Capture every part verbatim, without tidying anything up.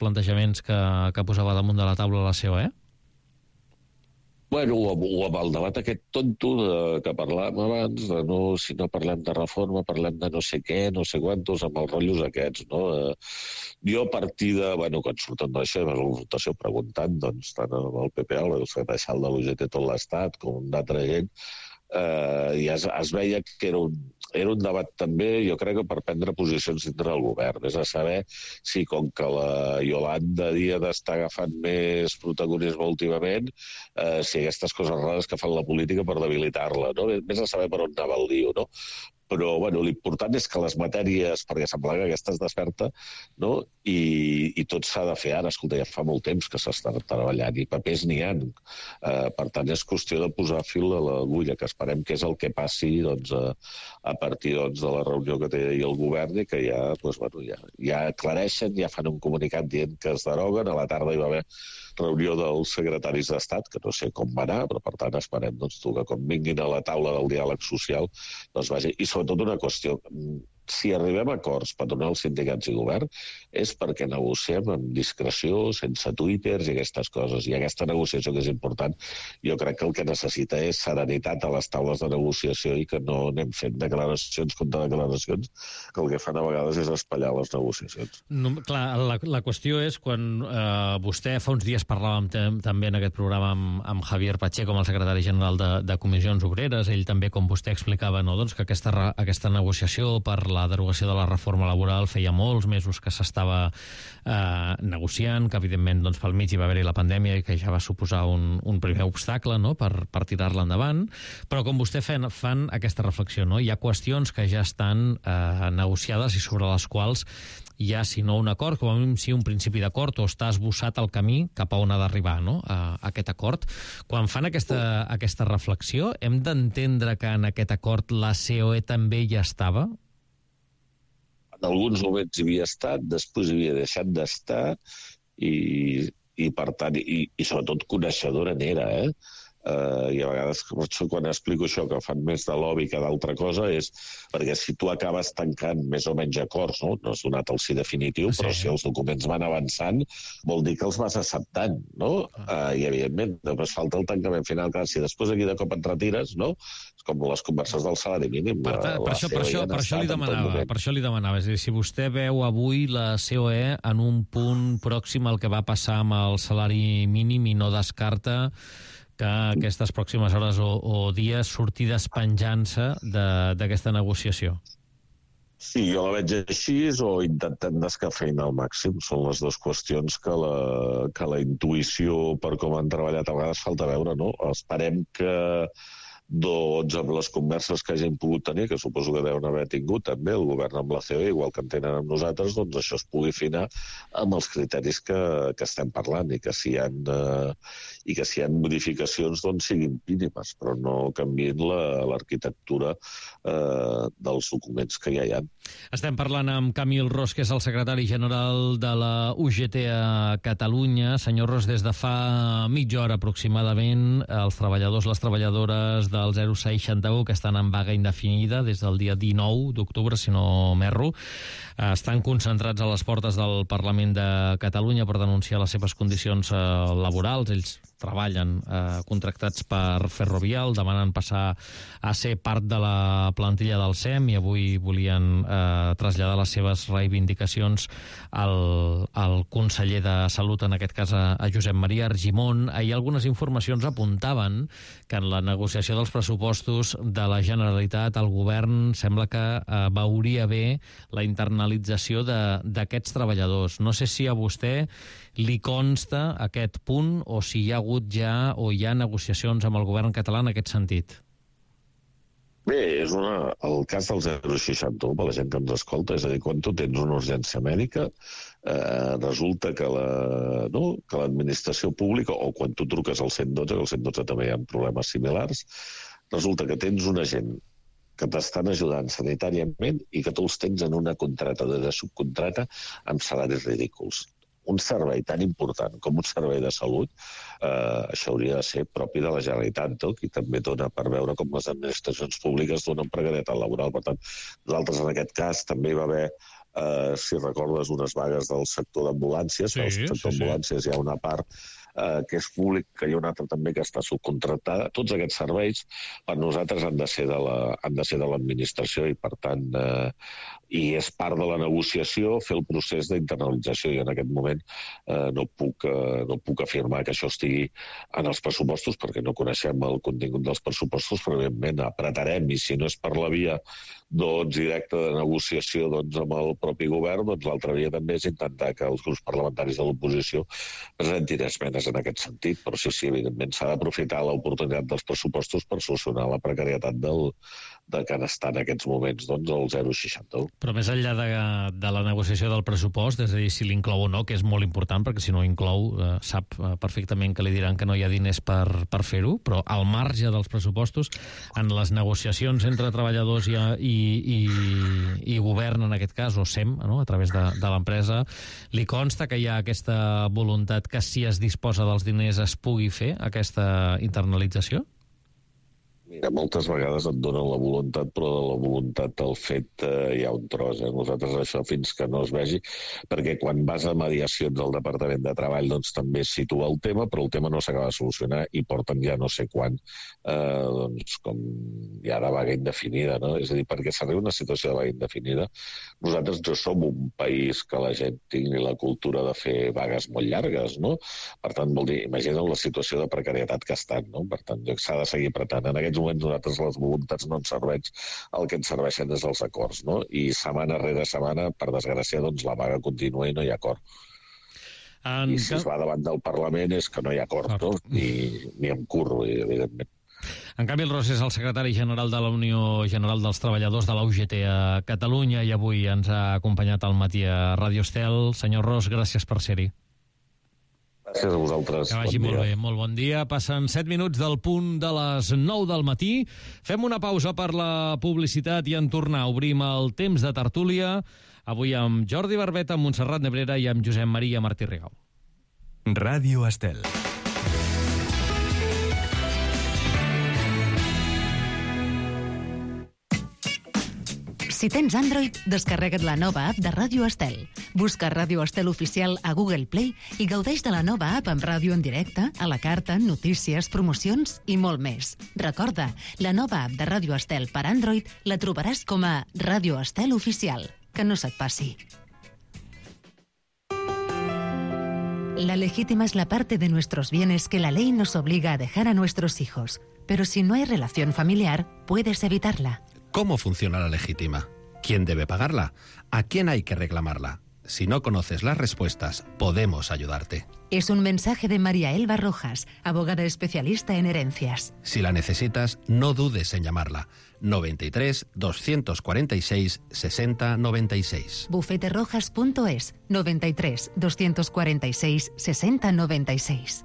plantejaments que, que posava damunt de la taula la C O E? Bueno, o, o amb el debat aquest tonto de, que parlàvem abans, de no, si no parlem de reforma, parlem de no sé què, no sé quantos, amb els rotllos aquests, no? Eh, jo a partir de, bueno, quan surten d'això, de la votació preguntant, doncs, tant amb el P P, el secretari de l'U G T tot l'Estat, com d'altra gent, eh, i es, es veia que era un, era un debat també, jo crec que per prendre posicions dintre del govern, és a saber si com que la Iolanda Díaz està agafant més protagonisme últimament, eh, si aquestes coses rares que fan la política per debilitar-la, no? Més a saber per on anava el lío, no? Però, bueno, l'important és que les matèries, perquè sembla que aquesta es desperta, no? I, i tot s'ha de fer ara. Escolta, ja fa molt temps que s'està treballant i papers n'hi ha. Eh, per tant, és qüestió de posar fil a l'agulla, que esperem que és el que passi doncs, a, a partir doncs, de la reunió que té el govern i que ja, doncs, bueno, ja, ja aclareixen, ja fan un comunicat dient que es deroguen. A la tarda hi va haver reunió dels secretaris d'Estat, que no sé com va anar, però per tant esperem doncs, que quan vinguin a la taula del diàleg social, doncs vagi. I sobretot una qüestió, si arribem a acords per donar als sindicats i govern és perquè negociem amb discreció, sense twitters i aquestes coses. I aquesta negociació que és important, jo crec que el que necessita és serenitat a les taules de negociació i que no anem fent declaracions contra declaracions, que el que fan a vegades és espatllar les negociacions. No, clar, la, la qüestió és quan eh, vostè fa uns dies parlàvem també en aquest programa amb, amb Javier Pacheco, com el secretari general de, de Comissions Obreres, ell també, com vostè explicava, no, doncs que aquesta, aquesta negociació per la derogació de la reforma laboral feia molts mesos que s'estava eh, negociant, que evidentment doncs, pel mig hi va haver-hi la pandèmia i que ja va suposar un, un primer obstacle, no?, per, per tirar-la endavant, però com vostè fan, fan aquesta reflexió, no? Hi ha qüestions que ja estan eh, negociades i sobre les quals hi ha, si no un acord, com a mínim si un principi d'acord, o està esbossat el camí cap a on ha d'arribar, no?, a, a aquest acord. Quan fan aquesta, aquesta reflexió, hem d'entendre que en aquest acord la C O E també hi estava? En alguns moments hi havia estat, després hi havia deixat d'estar i, i per tant, i, i sobretot coneixedora n'era, eh? Uh, i a vegades quan explico això que fan més de lobby que d'altra cosa és perquè si tu acabes tancant més o menys acords, no, no has donat el sí definitiu, sí, però si els documents van avançant vol dir que els vas acceptant, no? Uh, i evidentment després falta el tancament final, clar, si després aquí de cop et retires, no? És com les converses del salari mínim. Per, ta, per, això, per, això, per, això li demanava, per això li demanava, és a dir, si vostè veu avui la C O E en un punt pròxim al que va passar amb el salari mínim i no descarta que aquestes pròximes hores o, o dies sortir despenjant-se d'aquesta negociació? Sí, jo la veig així o intentant descafeinar al màxim. Són les dues qüestions que la, que la intuïció per com han treballat a vegades falta veure, no? Esperem que doncs amb les converses que hagin pogut tenir, que suposo que deuen haver tingut també el govern amb la C O E, igual que en tenen amb nosaltres, doncs això es pugui afinar amb els criteris que, que estem parlant i que si hi ha, eh, i que si hi ha modificacions doncs siguin mínimes, però no canviïn l'arquitectura eh, dels documents que ja hi ha. Estem parlant amb Camil Ros, que és el secretari general de la U G T a Catalunya. Senyor Ros, des de fa mitja hora aproximadament, els treballadors, les treballadores de del zero sis seixanta-u, que estan en vaga indefinida des del dia dinou d'octubre, si no m'erro, estan concentrats a les portes del Parlament de Catalunya per denunciar les seves condicions laborals. Ells treballen eh, contractats per Ferrovial, demanen passar a ser part de la plantilla del S E M i avui volien eh, traslladar les seves reivindicacions al, al conseller de Salut, en aquest cas a, a Josep Maria Argimon. Ahir algunes informacions apuntaven que en la negociació dels pressupostos de la Generalitat el govern sembla que eh, veuria bé la internalització d'aquests treballadors. No sé si a vostè li consta aquest punt o si hi ha hagut ja o hi ha negociacions amb el govern català en aquest sentit. Bé, és una, el cas del zero seixanta-u, per la gent que ens escolta, és a dir, quan tu tens una urgència mèdica, eh, resulta que la, no, que l'administració pública, o quan tu truques al cent i dotze, que al cent i dotze també hi ha problemes similars, resulta que tens una gent que t'estan ajudant sanitàriament i que tu els tens en una contrata de, de subcontrata amb salaris ridículs. Un servei tan important com un servei de salut, eh, això hauria de ser propi de la Generalitat, no? I també dona per veure com les administracions públiques donen precarietat laboral. Per tant, nosaltres en aquest cas també hi va haver eh, si recordes, unes vagues del sector d'ambulàncies. Sí, Al sector sí, sí. d'ambulàncies hi ha una part eh, que és públic, que hi ha una altra també que està subcontractada. Tots aquests serveis per nosaltres han de ser de la, han de ser de l'administració i, per tant, eh, i és part de la negociació fer el procés d'internalització. I en aquest moment eh, no, puc, eh, no puc afirmar que això estigui en els pressupostos perquè no coneixem el contingut dels pressupostos, però evidentment apretarem, i si no és per la via doncs, directa de negociació doncs, amb el propi govern, doncs l'altra via també és intentar que els grups parlamentaris de l'oposició presentin esmenes en aquest sentit, però sí, sí, evidentment s'ha d'aprofitar l'oportunitat dels pressupostos per solucionar la precarietat del, de que està en aquests moments doncs, el zero coma seixanta un. Però més enllà de, de la negociació del pressupost, és a dir, si l'inclou o no, que és molt important, perquè si no inclou, eh, sap eh, perfectament que li diran que no hi ha diners per, per fer-ho, però al marge dels pressupostos, en les negociacions entre treballadors i, i, i, i govern, en aquest cas, o S E M, no?, a través de, de l'empresa, li consta que hi ha aquesta voluntat que si es disposa dels diners es pugui fer aquesta internalització? Mira, moltes vegades et donen la voluntat, però de la voluntat del fet eh, hi ha un tros. Eh? Nosaltres això fins que no es vegi, perquè quan vas a mediacions del Departament de Treball doncs també es situa el tema, però el tema no s'acaba de solucionar i porten ja no sé quan, eh, doncs com ja de vaga indefinida, no? És a dir, perquè s'arriba a una situació de vaga indefinida, nosaltres no som un país que la gent tingui la cultura de fer vagues molt llargues, no? Per tant, vol dir, imagina't la situació de precarietat que estan, no? Per tant, s'ha de seguir apretant. En aquests moments nosaltres les voluntats no ens serveix, el que ens serveixen és els acords, no? I setmana rere setmana, per desgràcia, doncs la vaga continua i no hi ha acord. En... I si es va davant del Parlament és que no hi ha acord, no? Ni, ni em curro, evidentment. En Camil Ros és el secretari general de la Unió General dels Treballadors de la U G T a Catalunya i avui ens ha acompanyat al matí a Ràdio Estel. Senyor Ros, gràcies per ser-hi. Gràcies a vosaltres. Que vagi bon molt dia. bé, molt bon dia. Passen set minuts del punt de les nou del matí. Fem una pausa per la publicitat i en tornar obrim el temps de tertúlia. Avui amb Jordi Barbeta, amb Montserrat Nebrera i amb Josep Maria Martí Rigau. Ràdio Estel. Si tens Android, descarrega't la nova app de Ràdio Estel. Busca Ràdio Estel Oficial a Google Play i gaudeix de la nova app amb ràdio en directe, a la carta, notícies, promocions i molt més. Recorda, la nova app de Ràdio Estel per Android la trobaràs com a Ràdio Estel Oficial. Que no se't passi. La legítima es la parte de nuestros bienes que la ley nos obliga a dejar a nuestros hijos. Pero si no hay relación familiar, puedes evitarla. ¿Cómo funciona la legítima? ¿Quién debe pagarla? ¿A quién hay que reclamarla? Si no conoces las respuestas, podemos ayudarte. Es un mensaje de María Elba Rojas, abogada especialista en herencias. Si la necesitas, no dudes en llamarla. noventa y tres, doscientos cuarenta y seis, sesenta noventa y seis. bufete rojas punto es, noventa y tres, doscientos cuarenta y seis, sesenta noventa y seis.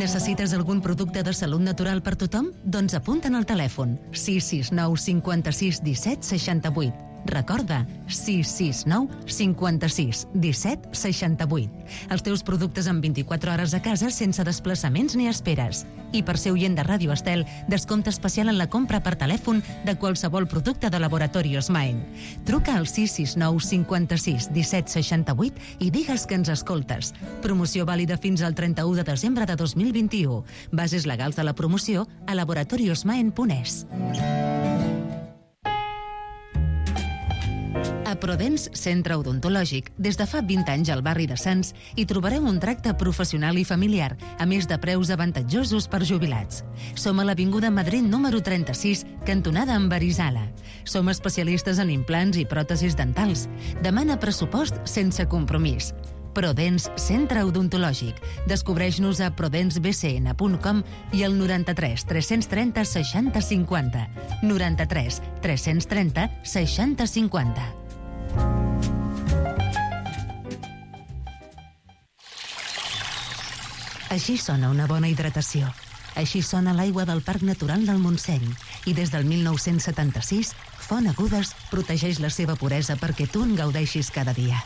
Necessites algun producte de salut natural per tothom? Doncs apunta'n al telèfon sis sis nou cinquanta-sis disset seixanta-vuit. Recorda, sis sis nou cinquanta-sis disset seixanta-vuit. Els teus productes en vint-i-quatre hores a casa sense desplaçaments ni esperes. I per ser oient de Ràdio Estel, descompte especial en la compra per telèfon de qualsevol producte de Laboratorios Maen. Truca al sis sis nou cinquanta-sis disset seixanta-vuit i digues que ens escoltes. Promoció vàlida fins al trenta-u de desembre de dos mil vint-i-u. Bases legals de la promoció a laboratoriosmaen punt es. A Prodens Centre Odontològic, des de fa vint anys al barri de Sants, hi trobareu un tracte professional i familiar, a més de preus avantatjosos per jubilats. Som a l'Avinguda Madrid número trenta-sis, cantonada amb Arizala. Som especialistes en implants i pròtesis dentals. Demana pressupost sense compromís. Prodens Centre Odontològic. Descobreix-nos a prodens b c n punt com i al noranta-tres tres-cents trenta seixanta cinquanta. noranta-tres tres-cents trenta seixanta cinquanta. Així sona una bona hidratació. Així sona l'aigua del Parc Natural del Montseny. I des del mil nou-cents setanta-sis, Font Agudes protegeix la seva puresa perquè tu en gaudeixis cada dia.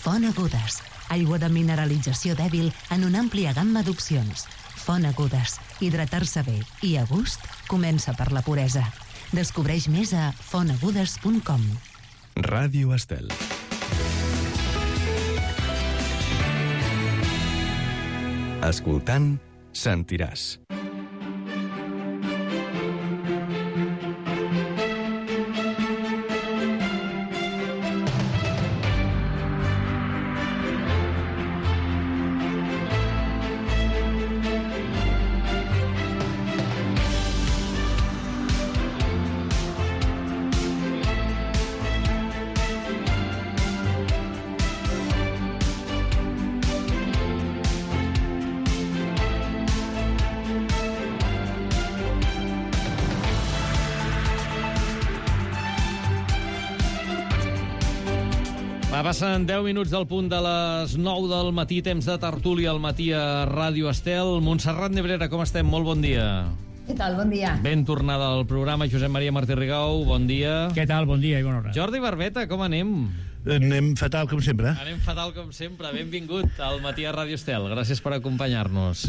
Font Agudes, aigua de mineralització dèbil en una àmplia gamma d'opcions. Font Agudes, hidratar-se bé i a gust comença per la puresa. Descobreix més a fonagudes punt com. Ràdio Estel. Escoltant, sentiràs. Passen deu minuts del punt de les nou del matí, temps de tertúlia al matí a Ràdio Estel. Montserrat Nebrera, com estem? Molt bon dia. Què tal? Bon dia. Ben tornada al programa. Josep Maria Martí Rigau, bon dia. Què tal? Bon dia i bona hora. Jordi Barbeta, com anem? Anem fatal, com sempre. Anem fatal, com sempre. Benvingut al matí a Ràdio Estel. Gràcies per acompanyar-nos.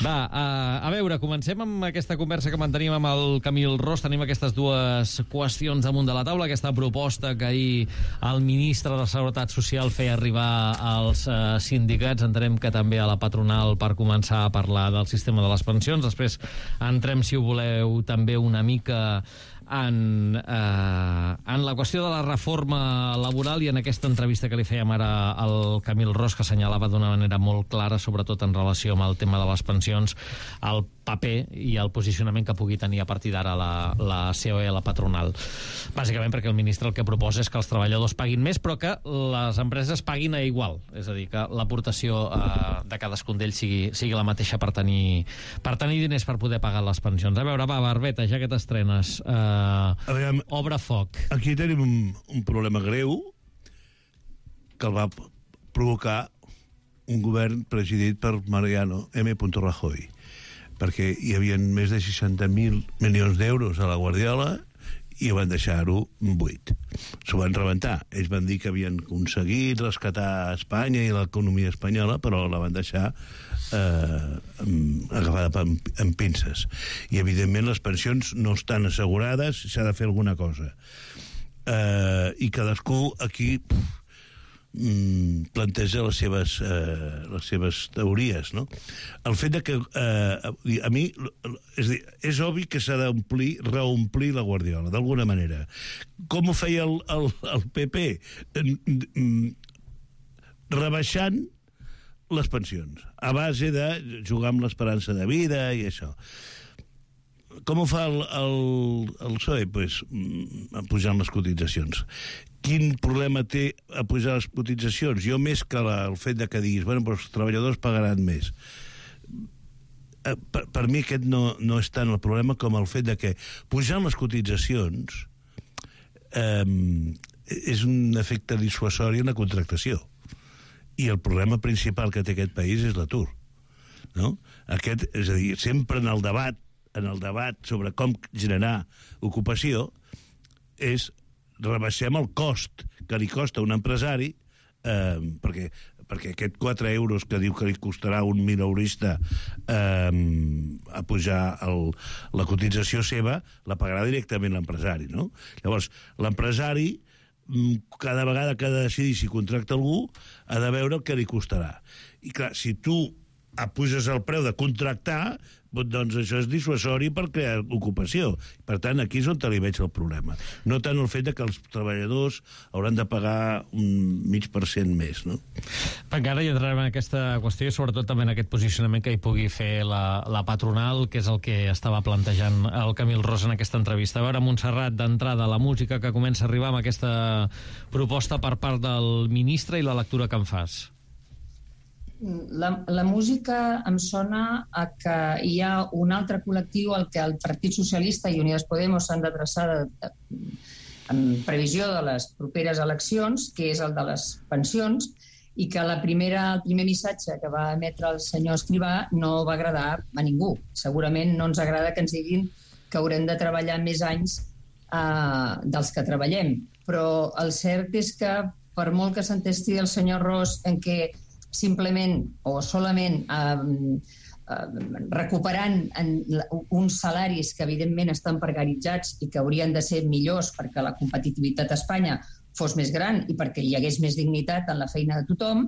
Va, a, a veure, comencem amb aquesta conversa que mantenim amb el Camil Ros. Tenim aquestes dues qüestions damunt de la taula. Aquesta proposta que ahir el ministre de Seguretat Social feia arribar als uh, sindicats. Entenem que també a la patronal per començar a parlar del sistema de les pensions. Després entrem, si ho voleu, també una mica en, eh, en la qüestió de la reforma laboral i en aquesta entrevista que li fèiem ara al Camil Ros, que assenyalava d'una manera molt clara, sobretot en relació amb el tema de les pensions, el paper i el posicionament que pugui tenir a partir d'ara la, la C O E, la patronal. Bàsicament perquè el ministre el que proposa és que els treballadors paguin més, però que les empreses paguin a igual. És a dir, que l'aportació eh, de cadascun d'ells sigui, sigui la mateixa per tenir, per tenir diners per poder pagar les pensions. A veure, va, Barbeta, ja que t'estrenes, eh, veure, obre foc. Aquí tenim un, un problema greu que el va provocar un govern presidit per Mariano M. Rajoy, perquè hi havia més de seixanta mil milions d'euros a la Guardiola i van deixar-ho buit. S'ho van rebentar. Ells van dir que havien aconseguit rescatar Espanya i l'economia espanyola, però la van deixar eh, agafada amb, amb pinces. I, evidentment, les pensions no estan assegurades, s'ha de fer alguna cosa. Eh, I cadascú aquí pff, planteja les seves, eh, les seves teories, no? El fet de que eh, a mi és, dir, és obvi que s'ha d'omplir, reomplir la Guardiola, d'alguna manera. Com ho feia el, el, el P P? Rebaixant les pensions, a base de jugar amb l'esperança de vida i això. Com ho fa el, el, el P S O E? Pues, pujant les cotitzacions. Quin problema té a pujar les cotitzacions? Jo, més que la, el fet de que diguis, bueno, però els treballadors pagaran més. Per, per mi aquest no, no és tant el problema com el fet de que pujant les cotitzacions eh, és un efecte dissuasori en la contractació. I el problema principal que té aquest país és l'atur. No? Aquest, és a dir, sempre en el debat en el debat sobre com generar ocupació és rebaixem el cost que li costa a un empresari eh, perquè, perquè aquest quatre euros que diu que li costarà un mileurista eh, a pujar el, la cotització seva la pagarà directament l'empresari, no? Llavors, l'empresari cada vegada que ha de decidir si contracta algú ha de veure el que li costarà. I clar, si tu apuges el preu de contractar, doncs això és dissuasori per crear ocupació. Per tant, aquí és on li veig el problema. No tant el fet de que els treballadors hauran de pagar un mig per cent més, no? Encara hi entrarem en aquesta qüestió i sobretot també en aquest posicionament que hi pugui fer la, la patronal, que és el que estava plantejant el Camil Ros en aquesta entrevista. A veure, Montserrat, d'entrada, la música que comença a arribar amb aquesta proposta per part del ministre i la lectura que en fas. La, la música em sona a que hi ha un altre col·lectiu al que el Partit Socialista i Unides Podemos s'han d'adreçar en previsió de les properes eleccions, que és el de les pensions, i que la primera, el primer missatge que va emetre el senyor Escrivà no va agradar a ningú. Segurament no ens agrada que ens diguin que haurem de treballar més anys eh, dels que treballem, però el cert és que per molt que s'entesti el senyor Ros en què simplement o solament eh, recuperant en uns salaris que evidentment estan precaritzats i que haurien de ser millors perquè la competitivitat a Espanya fos més gran i perquè hi hagués més dignitat en la feina de tothom,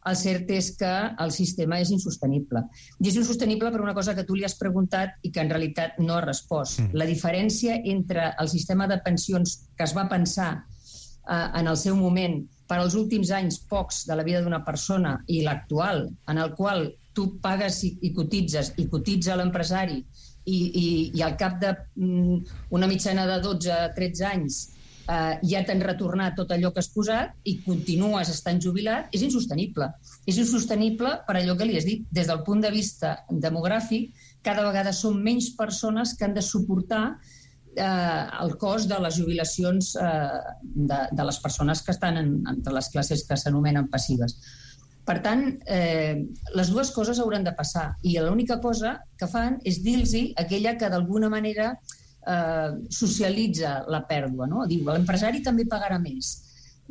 el cert és que el sistema és insostenible. I és insostenible per una cosa que tu li has preguntat i que en realitat no ha respost. Mm. La diferència entre el sistema de pensions que es va pensar eh, en el seu moment per als últims anys pocs de la vida d'una persona i l'actual, en el qual tu pagues i, i cotitzes i cotitza l'empresari i, i, i al cap d'una mm, mitjana de dotze a tretze anys Uh, ja t'han retornat tot allò que has posat i continues estant jubilat, és insostenible. És insostenible per allò que li has dit. Des del punt de vista demogràfic, cada vegada són menys persones que han de suportar uh, el cost de les jubilacions uh, de, de les persones que estan en, entre les classes que s'anomenen passives. Per tant, eh, les dues coses hauran de passar i l'única cosa que fan és dir-los aquella que d'alguna manera Eh, socialitza la pèrdua, no? Diu, l'empresari també pagarà més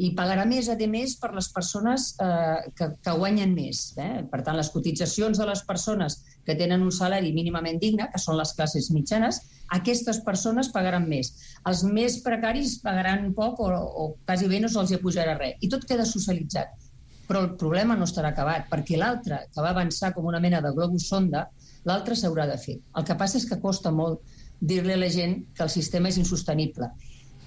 i pagarà més, a més, per les persones eh, que, que guanyen més. Eh? Per tant, les cotitzacions de les persones que tenen un salari mínimament digne, que són les classes mitjanes, aquestes persones pagaran més. Els més precaris pagaran poc o, o quasi bé no se'ls pujarà res. I tot queda socialitzat. Però el problema no estarà acabat, perquè l'altre, que va avançar com una mena de globus sonda, l'altre s'haurà de fer. El que passa és que costa molt dir-li a la gent que el sistema és insostenible.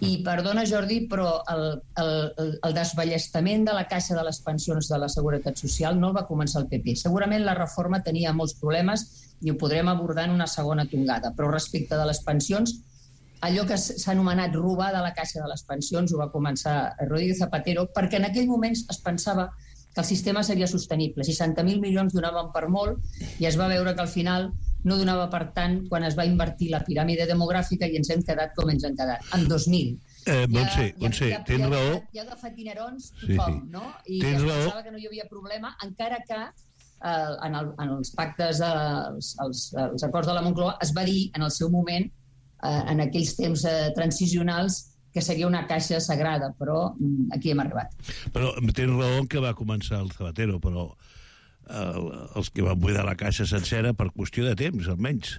I, perdona, Jordi, però el, el, el desballestament de la caixa de les pensions de la Seguretat Social no el va començar el P P. Segurament la reforma tenia molts problemes i ho podrem abordar en una segona tongada, però respecte de les pensions, allò que s'ha anomenat robar de la caixa de les pensions ho va començar Rodríguez Zapatero, perquè en aquell moment es pensava que el sistema seria sostenible. seixanta mil milions donaven per molt i es va veure que al final no donava per tant quan es va invertir la piràmide demogràfica i ens hem quedat com ens hem quedat, en dos mil. Eh, Montse, Montse, tens raó. Hi ha agafat dinerons tothom, sí, no? I tens es pensava raó. Que no hi havia problema, encara que eh, en, el, en els pactes, els, els, els acords de la Moncloa, es va dir en el seu moment, eh, en aquells temps eh, transicionals, que seria una caixa sagrada, però aquí hem arribat. Però tens raó que va començar el Zapatero, però el, els que van buidar la caixa sencera per qüestió de temps, almenys,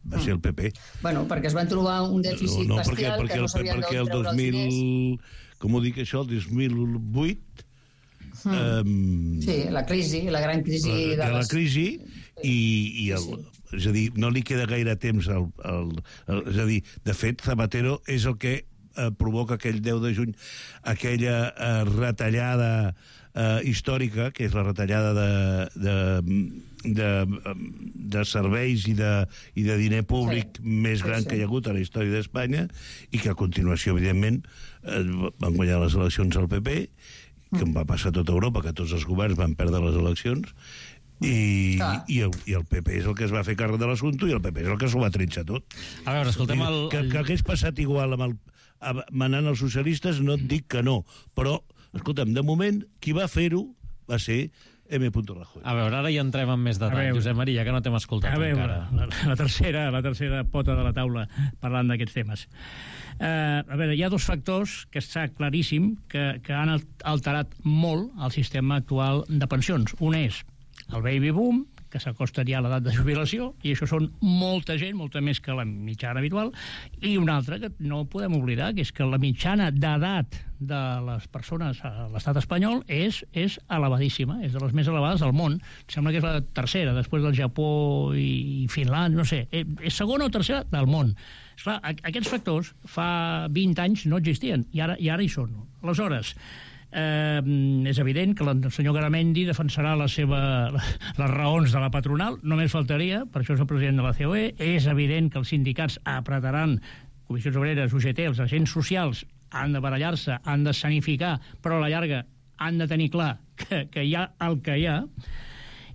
va mm. ser el P P. Bueno, perquè es van trobar un dèficit no, no, bestial perquè, perquè que no sabien d'on treure els diners. Com ho dic això, el dos mil vuit... Mm. Um, sí, la crisi, la gran crisi... La, de la les... crisi i, i el... Sí. És a dir, no li queda gaire temps al, al, al, és a dir, de fet, Zapatero és el que eh, provoca aquell deu de juny aquella eh, retallada eh, històrica, que és la retallada de, de, de, de serveis i de, i de diner públic sí. més gran sí, sí. que hi ha hagut a la història d'Espanya i que a continuació, evidentment, eh, van guanyar les eleccions al P P, que mm. va passar a tota Europa, que tots els governs van perdre les eleccions, i, i, el, i el P P és el que es va fer càrrec de l'assumpte i el P P és el que s'ho va trinxar tot. A veure, escoltem el... Que, que hagués passat igual amb el, manant els socialistes, no et dic que no, però, escolta'm, de moment, qui va fer-ho va ser M. Rajoy. A veure, ara ja entrem en més detall, Josep Maria, que no t'hem escoltat a veure, encara. La, la, tercera, la tercera pota de la taula parlant d'aquests temes. Uh, a veure, hi ha dos factors que està claríssim que, que han alterat molt el sistema actual de pensions. Un és el baby boom, que s'acostaria a l'edat de jubilació, i això són molta gent, molta més que la mitjana habitual, i una altra que no podem oblidar, que és que la mitjana d'edat de les persones a l'estat espanyol és, és elevadíssima, és de les més elevades del món. Em sembla que és la tercera, després del Japó i Finlàndia, no sé, és segona o tercera del món. Esclar, aquests factors fa vint anys no existien, i ara, i ara hi són. Aleshores, Eh, és evident que el senyor Garamendi defensarà la seva, les raons de la patronal, només faltaria, per això és el president de la C O E. És evident que els sindicats apretaran, Comissions Obreres, U G T, els agents socials han de barallar-se, han de sanificar, però a la llarga han de tenir clar que, que hi ha el que hi ha.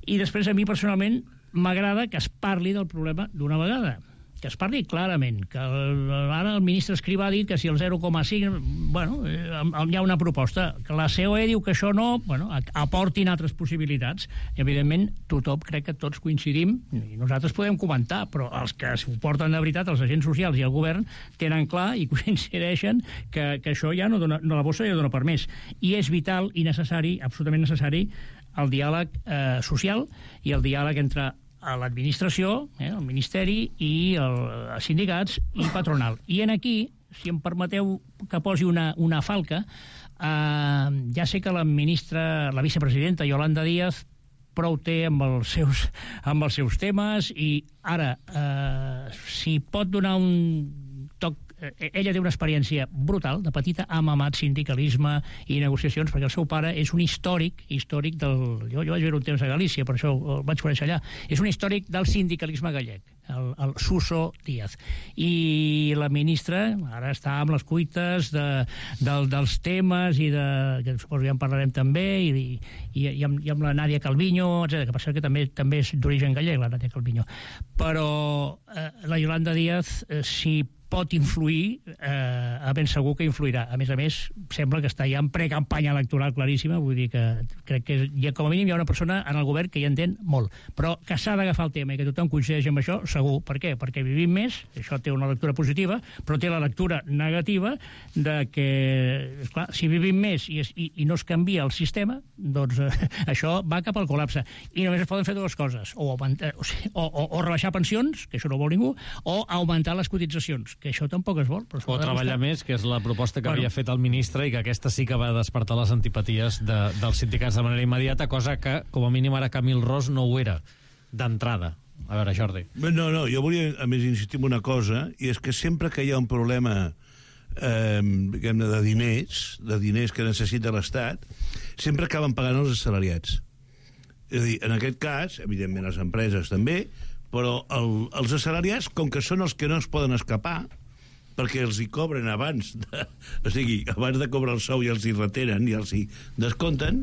I després, a mi personalment, m'agrada que es parli del problema d'una vegada, que es parli clarament, que el, ara el ministre Escrivà ha dit que si el zero coma cinc, bueno, hi ha una proposta, que la C O E diu que això no, bueno, aportin altres possibilitats. I, evidentment, tothom, crec que tots coincidim, i nosaltres podem comentar, però els que s'ho porten de veritat, els agents socials i el govern, tenen clar i coincideixen que, que això ja no dona, no, la bossa ja dona per més. I és vital i necessari, absolutament necessari, el diàleg eh, social i el diàleg entre a l'administració, eh, el Ministeri, i el, els sindicats i patronal. I en aquí, si em permeteu que posi una, una falca, eh, ja sé que la ministra, la vicepresidenta Yolanda Díaz, prou té amb els seus, amb els seus temes, i ara, eh, si pot donar un toc, ella té una experiència brutal, de petita ha mamat sindicalisme i negociacions, perquè el seu pare és un històric, històric del... Jo, jo vaig viure un temps a Galícia, per això el vaig conèixer allà. És un històric del sindicalisme gallec, el, el Suso Díaz. I la ministra ara està amb les cuites de, de, dels temes, i de, que suposo que ja en parlarem també, i, i, i, amb, i amb la Nàdia Calviño, etcètera, que passa que també també és d'origen gallec, la Nàdia Calviño. Però eh, la Yolanda Díaz, eh, si pot influir, eh, a ben segur que influirà. A més a més, sembla que està ja en precampanya electoral claríssima, vull dir que crec que ja, com a mínim hi ha una persona en el govern que hi entén molt. Però que s'ha d'agafar el tema i que tothom coincideix amb això, segur. Per què? Perquè vivim més, això té una lectura positiva, però té la lectura negativa de que, esclar, si vivim més i, es, i, i no es canvia el sistema, doncs eh, això va cap al col·lapse. I només es poden fer dues coses, o, augmentar, o, o, o, o rebaixar pensions, que això no ho vol ningú, o augmentar les cotitzacions, que això tampoc es vol. Però o treballar més, que és la proposta que bueno. havia fet el ministre, i que aquesta sí que va despertar les antipaties de, dels sindicats de manera immediata, cosa que, com a mínim, ara Camil Ros no ho era d'entrada. A veure, Jordi. No, no, jo volia, a més, insistir en una cosa, i és que sempre que hi ha un problema eh, diguem-ne, de diners, de diners que necessita l'Estat, sempre acaben pagant els assalariats. És a dir, en aquest cas, evidentment les empreses també, però el, els assalariats, com que són els que no es poden escapar, perquè els hi cobren abans de, o sigui, abans de cobrar el sou i els hi retenen i els hi descompten,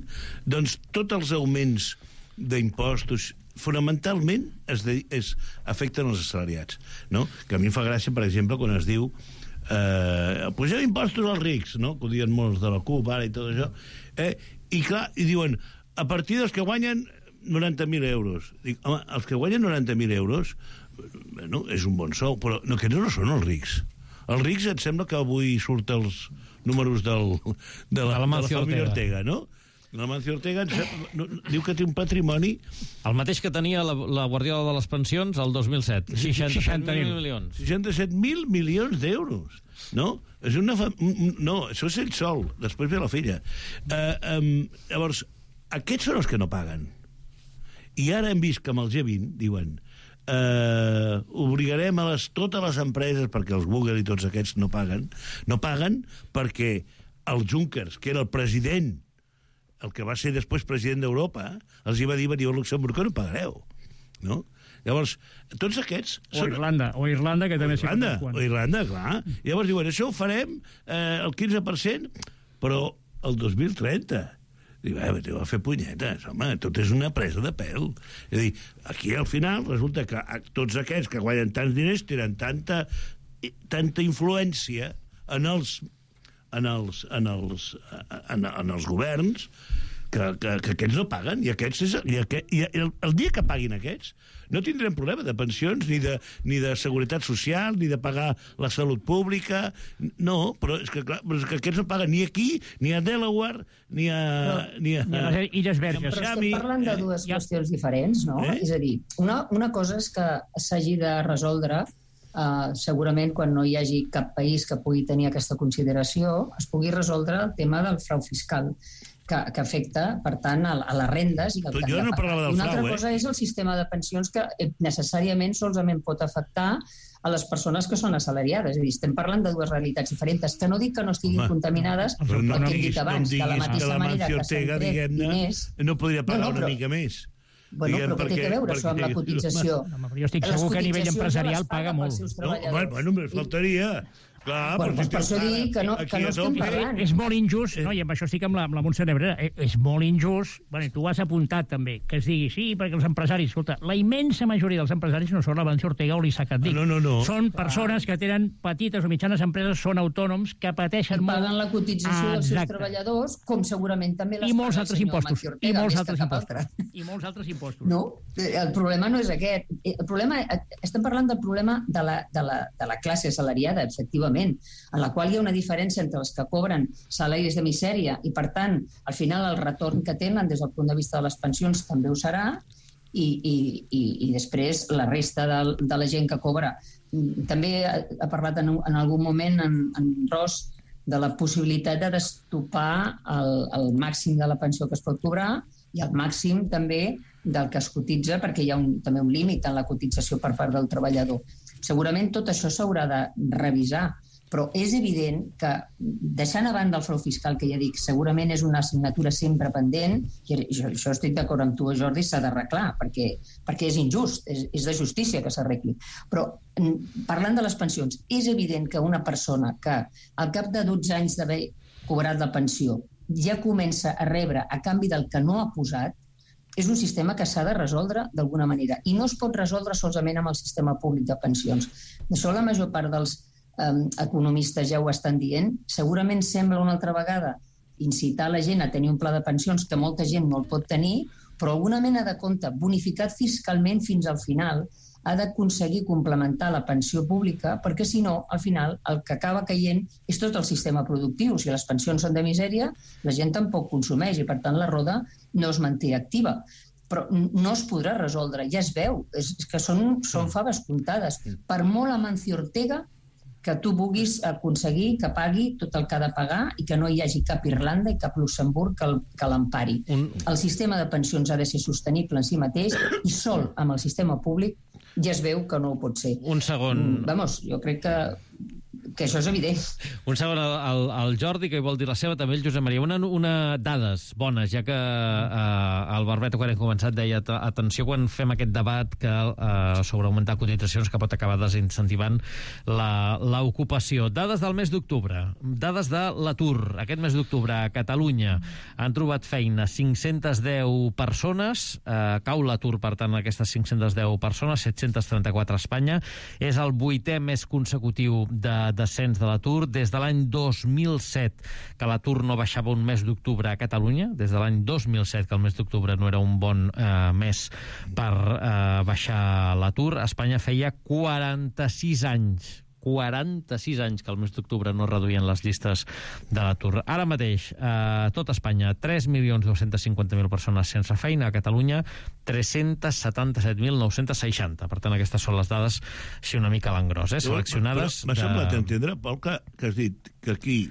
doncs tots els augments d'impostos fonamentalment es, de, es afecten els assalariats, no? Que a mi em fa gràcia, per exemple, quan es diu eh, poseu impostos als rics, no? Que ho diuen molts de la CUP ara i tot això, eh? I clar, i diuen, a partir dels que guanyen noranta mil euros. Dic, home, els que guanyen noranta mil euros, bueno, és un bon sou, però no, que no són els rics. Els rics, et sembla que avui surten els números del, de, la, de, la, de la família Ortega, no? La Mancio Ortega no, diu que té un patrimoni... El mateix que tenia la, la Guardiola de les pensions el dos mil set. seixanta mil milions. seixanta-set mil milions d'euros, no? És una fa... No, això és ell sol, després ve la filla. Uh, um, llavors, aquests són els que no paguen. I ara hem vist que amb el G vint diuen eh, obligarem a les, totes les empreses, perquè els Google i tots aquests no paguen, no paguen perquè el Junckers, que era el president, el que va ser després president d'Europa, els hi va dir, veniu a Luxemburg, que no pagareu, no? Llavors, tots aquests... O són... Irlanda, o Irlanda, que també... Irlanda, o Irlanda, clar. Llavors diuen, això ho farem eh, el quinze per cent, però el dos mil trenta... Diu, eh, t'ho va fer punyetes, home, tot és una presa de pèl. És a dir, aquí al final resulta que tots aquests que guanyen tants diners tenen tanta, tanta influència en els, en els, en els, en, en els governs que, que, que aquests no paguen, i aquests és, i, aquest, i el, el dia que paguin aquests no tindrem problema de pensions, ni de, ni de seguretat social, ni de pagar la salut pública, no, però és que, clar, però és que aquests no paguen ni aquí, ni a Delaware, ni a... No, ni a, ni a les Illes Verges. Però estem parlant de dues eh? qüestions diferents, no? Eh? És a dir, una, una cosa és que s'hagi de resoldre, uh, segurament quan no hi hagi cap país que pugui tenir aquesta consideració, es pugui resoldre el tema del frau fiscal, que, que afecta, per tant, a, a les rendes. I el jo no parlava del frau. Una altra frau, eh? cosa és el sistema de pensions, que necessàriament solament pot afectar a les persones que són assalariades. És a dir, estem parlant de dues realitats diferents, que no dic que no estiguin Home, contaminades, però no, el no que hem dit abans, no de la mateixa que la manera que s'han tret diners... No podria pagar no, no, però, una mica més. Bueno, diguem, però què té a veure això amb la cotització? No, però jo estic segur que a nivell empresarial paga molt. No, bueno, només faltaria... Clar, bueno, doncs per això dic que no, que no estem parlant. És molt injust, no? I amb això estic amb la, amb la Montse Nebrera, és molt injust, bueno, tu ho has apuntat també, que es digui, sí, perquè els empresaris, escolta, la immensa majoria dels empresaris no són la Mancio Ortega o l'Isaac Andic. No, no, no. Són persones que tenen petites o mitjanes empreses, són autònoms, que pateixen molt. I paguen la cotització dels seus treballadors, com segurament també les I molts altres impostos. Ortega, I molts altres impostos. I molts altres impostos. No, el problema no és aquest. El problema, estem parlant del problema de la, de la, de la classe assalariada, efectivament, en la qual hi ha una diferència entre els que cobren salaris de misèria i, per tant, al final el retorn que tenen des del punt de vista de les pensions també ho serà, i, i, i, i després la resta de, de la gent que cobra. També ha, ha parlat en, en algun moment en, en Ros de la possibilitat de destopar el, el màxim de la pensió que es pot cobrar i el màxim també del que es cotitza, perquè hi ha un, també un límit en la cotització per part del treballador. Segurament tot això s'haurà de revisar, però és evident que, deixant a banda el frau fiscal, que ja dic, segurament és una assignatura sempre pendent, i això, això estic d'acord amb tu, Jordi, s'ha d'arreglar, perquè, perquè és injust, és, és de justícia que s'arregli. Però, parlant de les pensions, és evident que una persona que al cap de dotze anys d'haver cobrat la pensió ja comença a rebre a canvi del que no ha posat, és un sistema que s'ha de resoldre d'alguna manera. I no es pot resoldre solament amb el sistema públic de pensions. D'això la major part dels eh, economistes ja ho estan dient. Segurament sembla una altra vegada incitar la gent a tenir un pla de pensions que molta gent no el pot tenir, però alguna mena de compte bonificat fiscalment fins al final ha d'aconseguir complementar la pensió pública, perquè si no, al final, el que acaba caient és tot el sistema productiu. Si les pensions són de misèria, la gent tampoc consumeix i, per tant, la roda no es manté activa. Però no es podrà resoldre, ja es veu, és que són, són faves comptades. Per molt Amancio Ortega que tu vulguis aconseguir que pagui tot el que ha de pagar i que no hi hagi cap Irlanda i cap Luxemburg que, el, que l'empari. Un... El sistema de pensions ha de ser sostenible en si mateix i sol amb el sistema públic ja es veu que no ho pot ser. Un segon... Vamos, jo crec que, que això és evident. Un segon, el, el Jordi, que hi vol dir la seva, també el Josep Maria. Una, una dades bones, ja que eh, el Barbeto, quan hem començat, deia atenció quan fem aquest debat que eh, sobre augmentar cotitzacions que pot acabar desincentivant l'ocupació. Dades del mes d'octubre, dades de l'atur. Aquest mes d'octubre a Catalunya han trobat feina cinc-centes deu persones, eh, cau l'atur, per tant, aquestes cinc-centes deu persones, set-cents trenta-quatre a Espanya. És el vuitè mes consecutiu de descens de l'atur des de l'any dos mil set, que l'atur no baixava un mes d'octubre a Catalunya, des de l'any dos mil set, que el mes d'octubre no era un bon eh, mes per eh, baixar l'atur. A Espanya feia quaranta-sis anys quaranta-sis anys que el mes d'octubre no reduïen les llistes de l'atur. Ara mateix, a eh, tot Espanya, tres milions dos-cents cinquanta mil persones sense feina, a Catalunya tres-cents setanta-set mil nou-cents seixanta. Per tant, aquestes són les dades, si una mica a l'engròs, eh, seleccionades. M'ha semblat entendre, Pol, que, que has dit que aquí...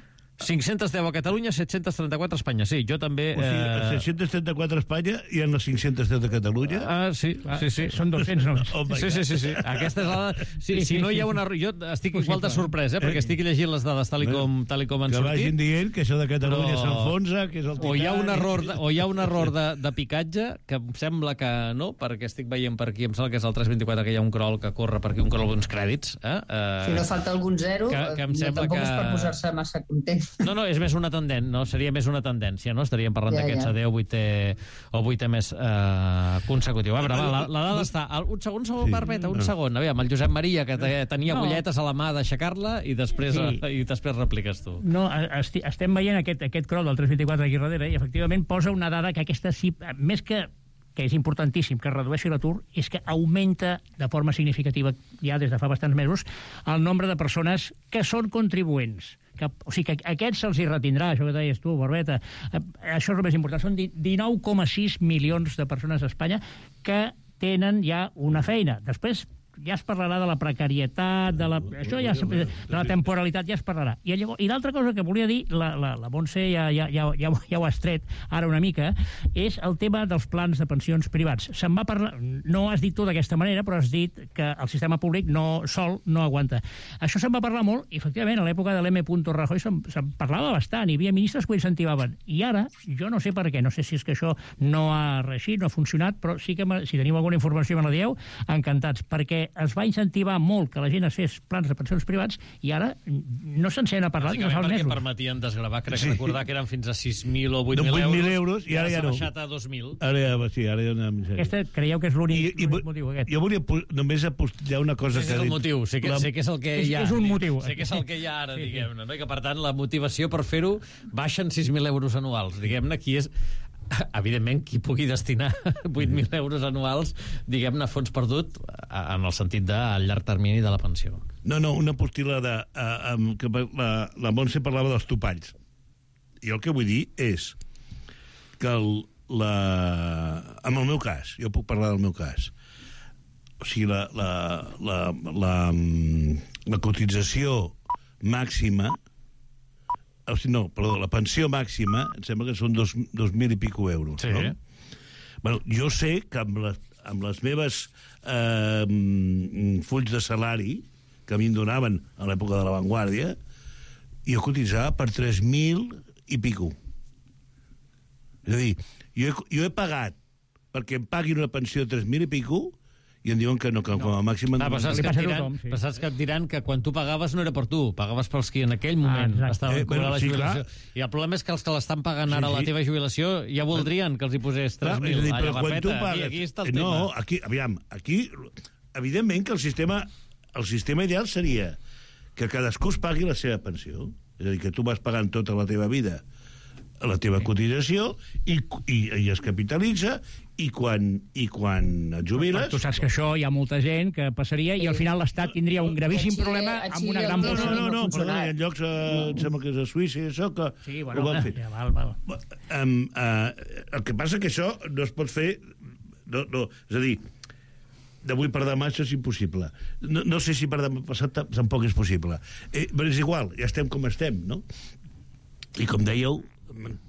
cinc-cents deu a Catalunya, set-cents trenta-quatre a Espanya. Sí, jo també... O sigui, a set-cents trenta-quatre a Espanya i en les cinc-cents deu de Catalunya? Ah, sí, sí, sí. Són dos-cents només. Oh sí, sí, sí, sí. Aquesta és la... Sí, sí, si no hi ha una... Jo estic igual de sorprès, eh, perquè estic llegint les dades tal i com, tal i com han que sortit. Que vagin dient que això de Catalunya però... s'enfonsa, que és el Titanic... O hi ha un error de, o hi ha un error de, de picatge, que em sembla que no, perquè estic veient per aquí, em sembla que és el tres vint-i-quatre, que hi ha un crawl que corre per aquí, un crawl d'uns crèdits. Eh? Uh, si no falta algun zero, que, que em sembla tampoc que... és per posar-se massa content. No, no, és més una tendent, no? Seria més una tendència, no? Estaríem parlant ja, d'aquests ja. deu, vuitè o vuitè mes eh, consecutiu. A veure, va, la, la dada està... Un segon, segon, sí. Barbeta, un segon. Aviam, el Josep Maria, que tenia no. bolletes a la mà d'aixecar-la i després sí. i després repliques tu. No, esti, estem veient aquest, aquest crawl del tres vint-i-quatre aquí darrere i efectivament posa una dada que aquesta sí, més que que és importantíssim que redueixi l'atur, és que augmenta de forma significativa ja des de fa bastants mesos el nombre de persones que són contribuents. Que, o sigui que a aquests se'ls hi retindrà, això que deies tu, Barbeta. Això és el més important. Són dinou coma sis milions de persones a Espanya que tenen ja una feina. Després ja es parlarà de la precarietat, de la, això ja, de la temporalitat ja es parlarà. I, i l'altra cosa que volia dir, la, la, la Montse ja, ja, ja, ja, ja ho has tret ara una mica, és el tema dels plans de pensions privats. Se'n va parlar, no has dit tu d'aquesta manera, però has dit que el sistema públic no, sol no aguanta. Això se'n va parlar molt, i efectivament, a l'època de l'M. Rajoy se'n, se'n parlava bastant, hi havia ministres que ho incentivaven. I ara, jo no sé per què, no sé si és que això no ha reeixit, no ha funcionat, però sí que si teniu alguna informació me la dieu, encantats, perquè es va incentivar molt que la gent es fes plans de pensions privats i ara no se'n sent a parlar. Bàsicament perquè mesos. Permetien desgravar, crec que recordar que eren fins a sis mil o vuit mil euros, euros i ara ja no. S'ha baixat a dos mil. Ara ja, sí, ara ja una misèria. Aquesta creieu que és l'únic motiu aquest? Jo volia només apostillar una cosa sí, que... És el motiu, sé que, la... sé que és el que hi ha. És un motiu. Sé que és el que hi ha ara, sí, diguem-ne, no? I que per tant la motivació per fer-ho baixen sis mil euros anuals. Diguem-ne, aquí és... Evidentment, qui pugui destinar vuit mil euros anuals, diguem-ne, a fons perdut, en el sentit del llarg termini de la pensió. No, no, una postil·lada, eh, que la, la Montse parlava dels topalls. I el que vull dir és que el, la... en el meu cas, jo puc parlar del meu cas, o sigui, la, la, la, la, la cotització màxima, o sigui, no, perdó, la pensió màxima, em sembla que són dos, dos mil i pico euros, sí. no? Bueno, jo sé que amb les, amb les meves eh, fulls de salari, que a mi em donaven a l'època de l'avantguàrdia, jo cotitzava per tres mil i pico. És a dir, jo he, jo he pagat perquè em paguin una pensió de tres mil i pico i em diuen que no, que com a màxim... Ah, però saps que, et diran, sí. saps que et diran que quan tu pagaves no era per tu, pagaves pels que en aquell moment ah, estaven eh, cobrant bueno, la jubilació. Sí, I el problema és que els que l'estan pagant ara sí, sí. la teva jubilació ja voldrien que els hi posés tres mil. Clar, però quan tu pagues... Aquí, aquí està el no, tema. aquí, aviam, aquí, evidentment que el sistema, el sistema ideal seria que cadascú es pagui la seva pensió. És a dir, que tu vas pagant tota la teva vida la teva sí. cotització i, i, i es capitalitza i quan, i quan et jubiles... Tu saps que això hi ha molta gent que passaria i al final l'Estat tindria un gravíssim Xile, problema amb una gran... No, no, no, no, perdona, hi ha llocs, uh, em sembla que és a Suïssa i això, que sí, bueno, ho van fer. Ja, val, val. Um, uh, el que passa que això no es pot fer... No, no, és a dir, d'avui per demà això és impossible. No, no sé si per demà passat tampoc és possible. Eh, però és igual, ja estem com estem, no? I com dèieu,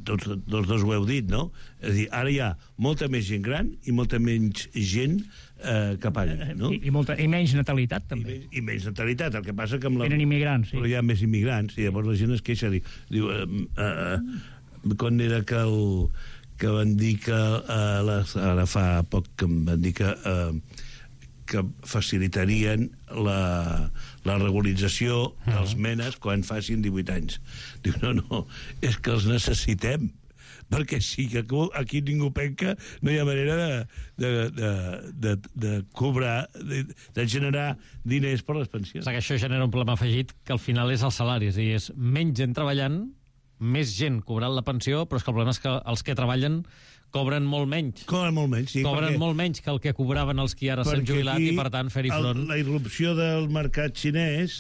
tots, tots dos ho heu dit, no? És a dir, ara hi ha molta més gent gran i molta menys gent eh, que pagui, no? I, i, molta, I menys natalitat, també. I, I menys natalitat, el que passa que amb la... Tenen immigrants, sí. Però hi ha més immigrants, i llavors la gent es queixa, diu, diu eh, eh, quan era que el... que van dir que eh, les, ara fa poc que em van dir que eh, que facilitarien la, la regularització dels menes quan facin divuit anys. Diu, no, no, és que els necessitem, perquè sí que aquí ningú penca, no hi ha manera de, de, de, de, de cobrar, de, de generar diners per les pensions. O sigui, això genera un problema afegit que al final és el salari, és a dir, és menys gent treballant, més gent cobrant la pensió, però és que el problema és que els que treballen cobren molt menys. Cobren molt menys, sí. Cobren perquè, molt menys que el que cobraven els que ara s'han jubilat i, per tant, fer-hi front. El, la irrupció del mercat xinès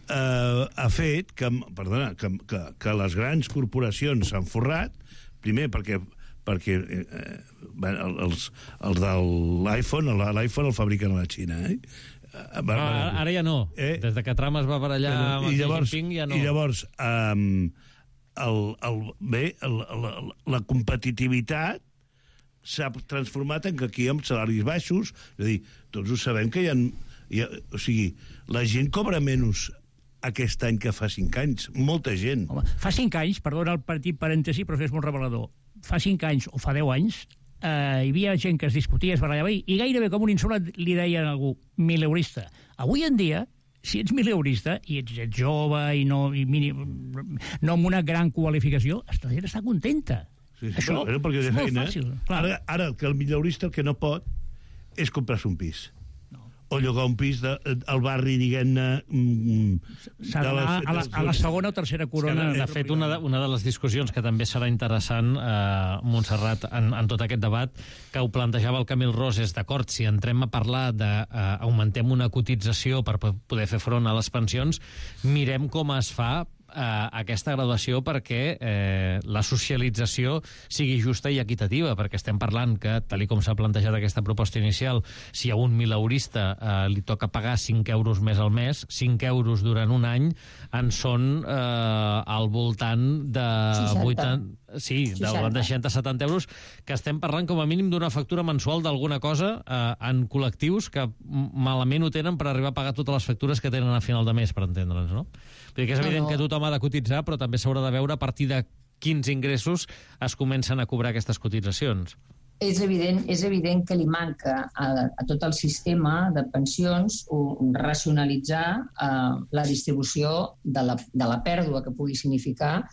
eh, ha fet que, perdona, que, que, que les grans corporacions s'han forrat, primer perquè perquè eh, els, els de l'iPhone, l'iPhone el fabriquen a la Xina, eh? Va, ah, ara ja no. Eh? Des de que Trump es va barallar eh, amb el Xi Jinping ja no. I llavors... Um, El, el, bé, el, la, la competitivitat s'ha transformat en que aquí amb salaris baixos, és a dir, tots ho sabem que hi ha, hi ha o sigui, la gent cobra menys aquest any que fa cinc anys, molta gent. Home, fa cinc anys, perdona el petit parèntesi, però és molt revelador, fa cinc anys o fa deu anys eh, hi havia gent que es discutia, es barallava i, i gairebé com un insult li deien a algú mileurista. Avui en dia si ets mileurista i ets, ets jove i no, i mini, no amb una gran qualificació, la gent està contenta. Sí, sí, això però, però és molt feina, fàcil. Ara, ara que el mileurista el que no pot és comprar-se un pis. No. O llogar un pis de, al barri, diguem-ne... Mm, S'ha d'anar a, la, a la segona o tercera corona. De, de fet, una de, una de les discussions que també serà interessant, eh, Montserrat, en, en tot aquest debat, que ho plantejava el Camil Ros, és d'acord, si entrem a parlar d'augmentem eh, una cotització per poder fer front a les pensions, mirem com es fa eh, aquesta graduació perquè eh, la socialització sigui justa i equitativa, perquè estem parlant que, tal com s'ha plantejat aquesta proposta inicial, si a un mileurista eh, li toca pagar cinc euros més al mes, cinc euros durant un any en són eh, al voltant de vuitanta... Sí, de seixanta a setanta euros, que estem parlant com a mínim d'una factura mensual d'alguna cosa eh, en col·lectius que malament ho tenen per arribar a pagar totes les factures que tenen a final de mes, per entendre'ns, no? Vull dir que és evident no, no. que tothom ha de cotitzar, però també s'haurà de veure a partir de quins ingressos es comencen a cobrar aquestes cotitzacions. És evident, és evident que li manca a, a tot el sistema de pensions un, racionalitzar eh, la distribució de la, de la pèrdua que pugui significar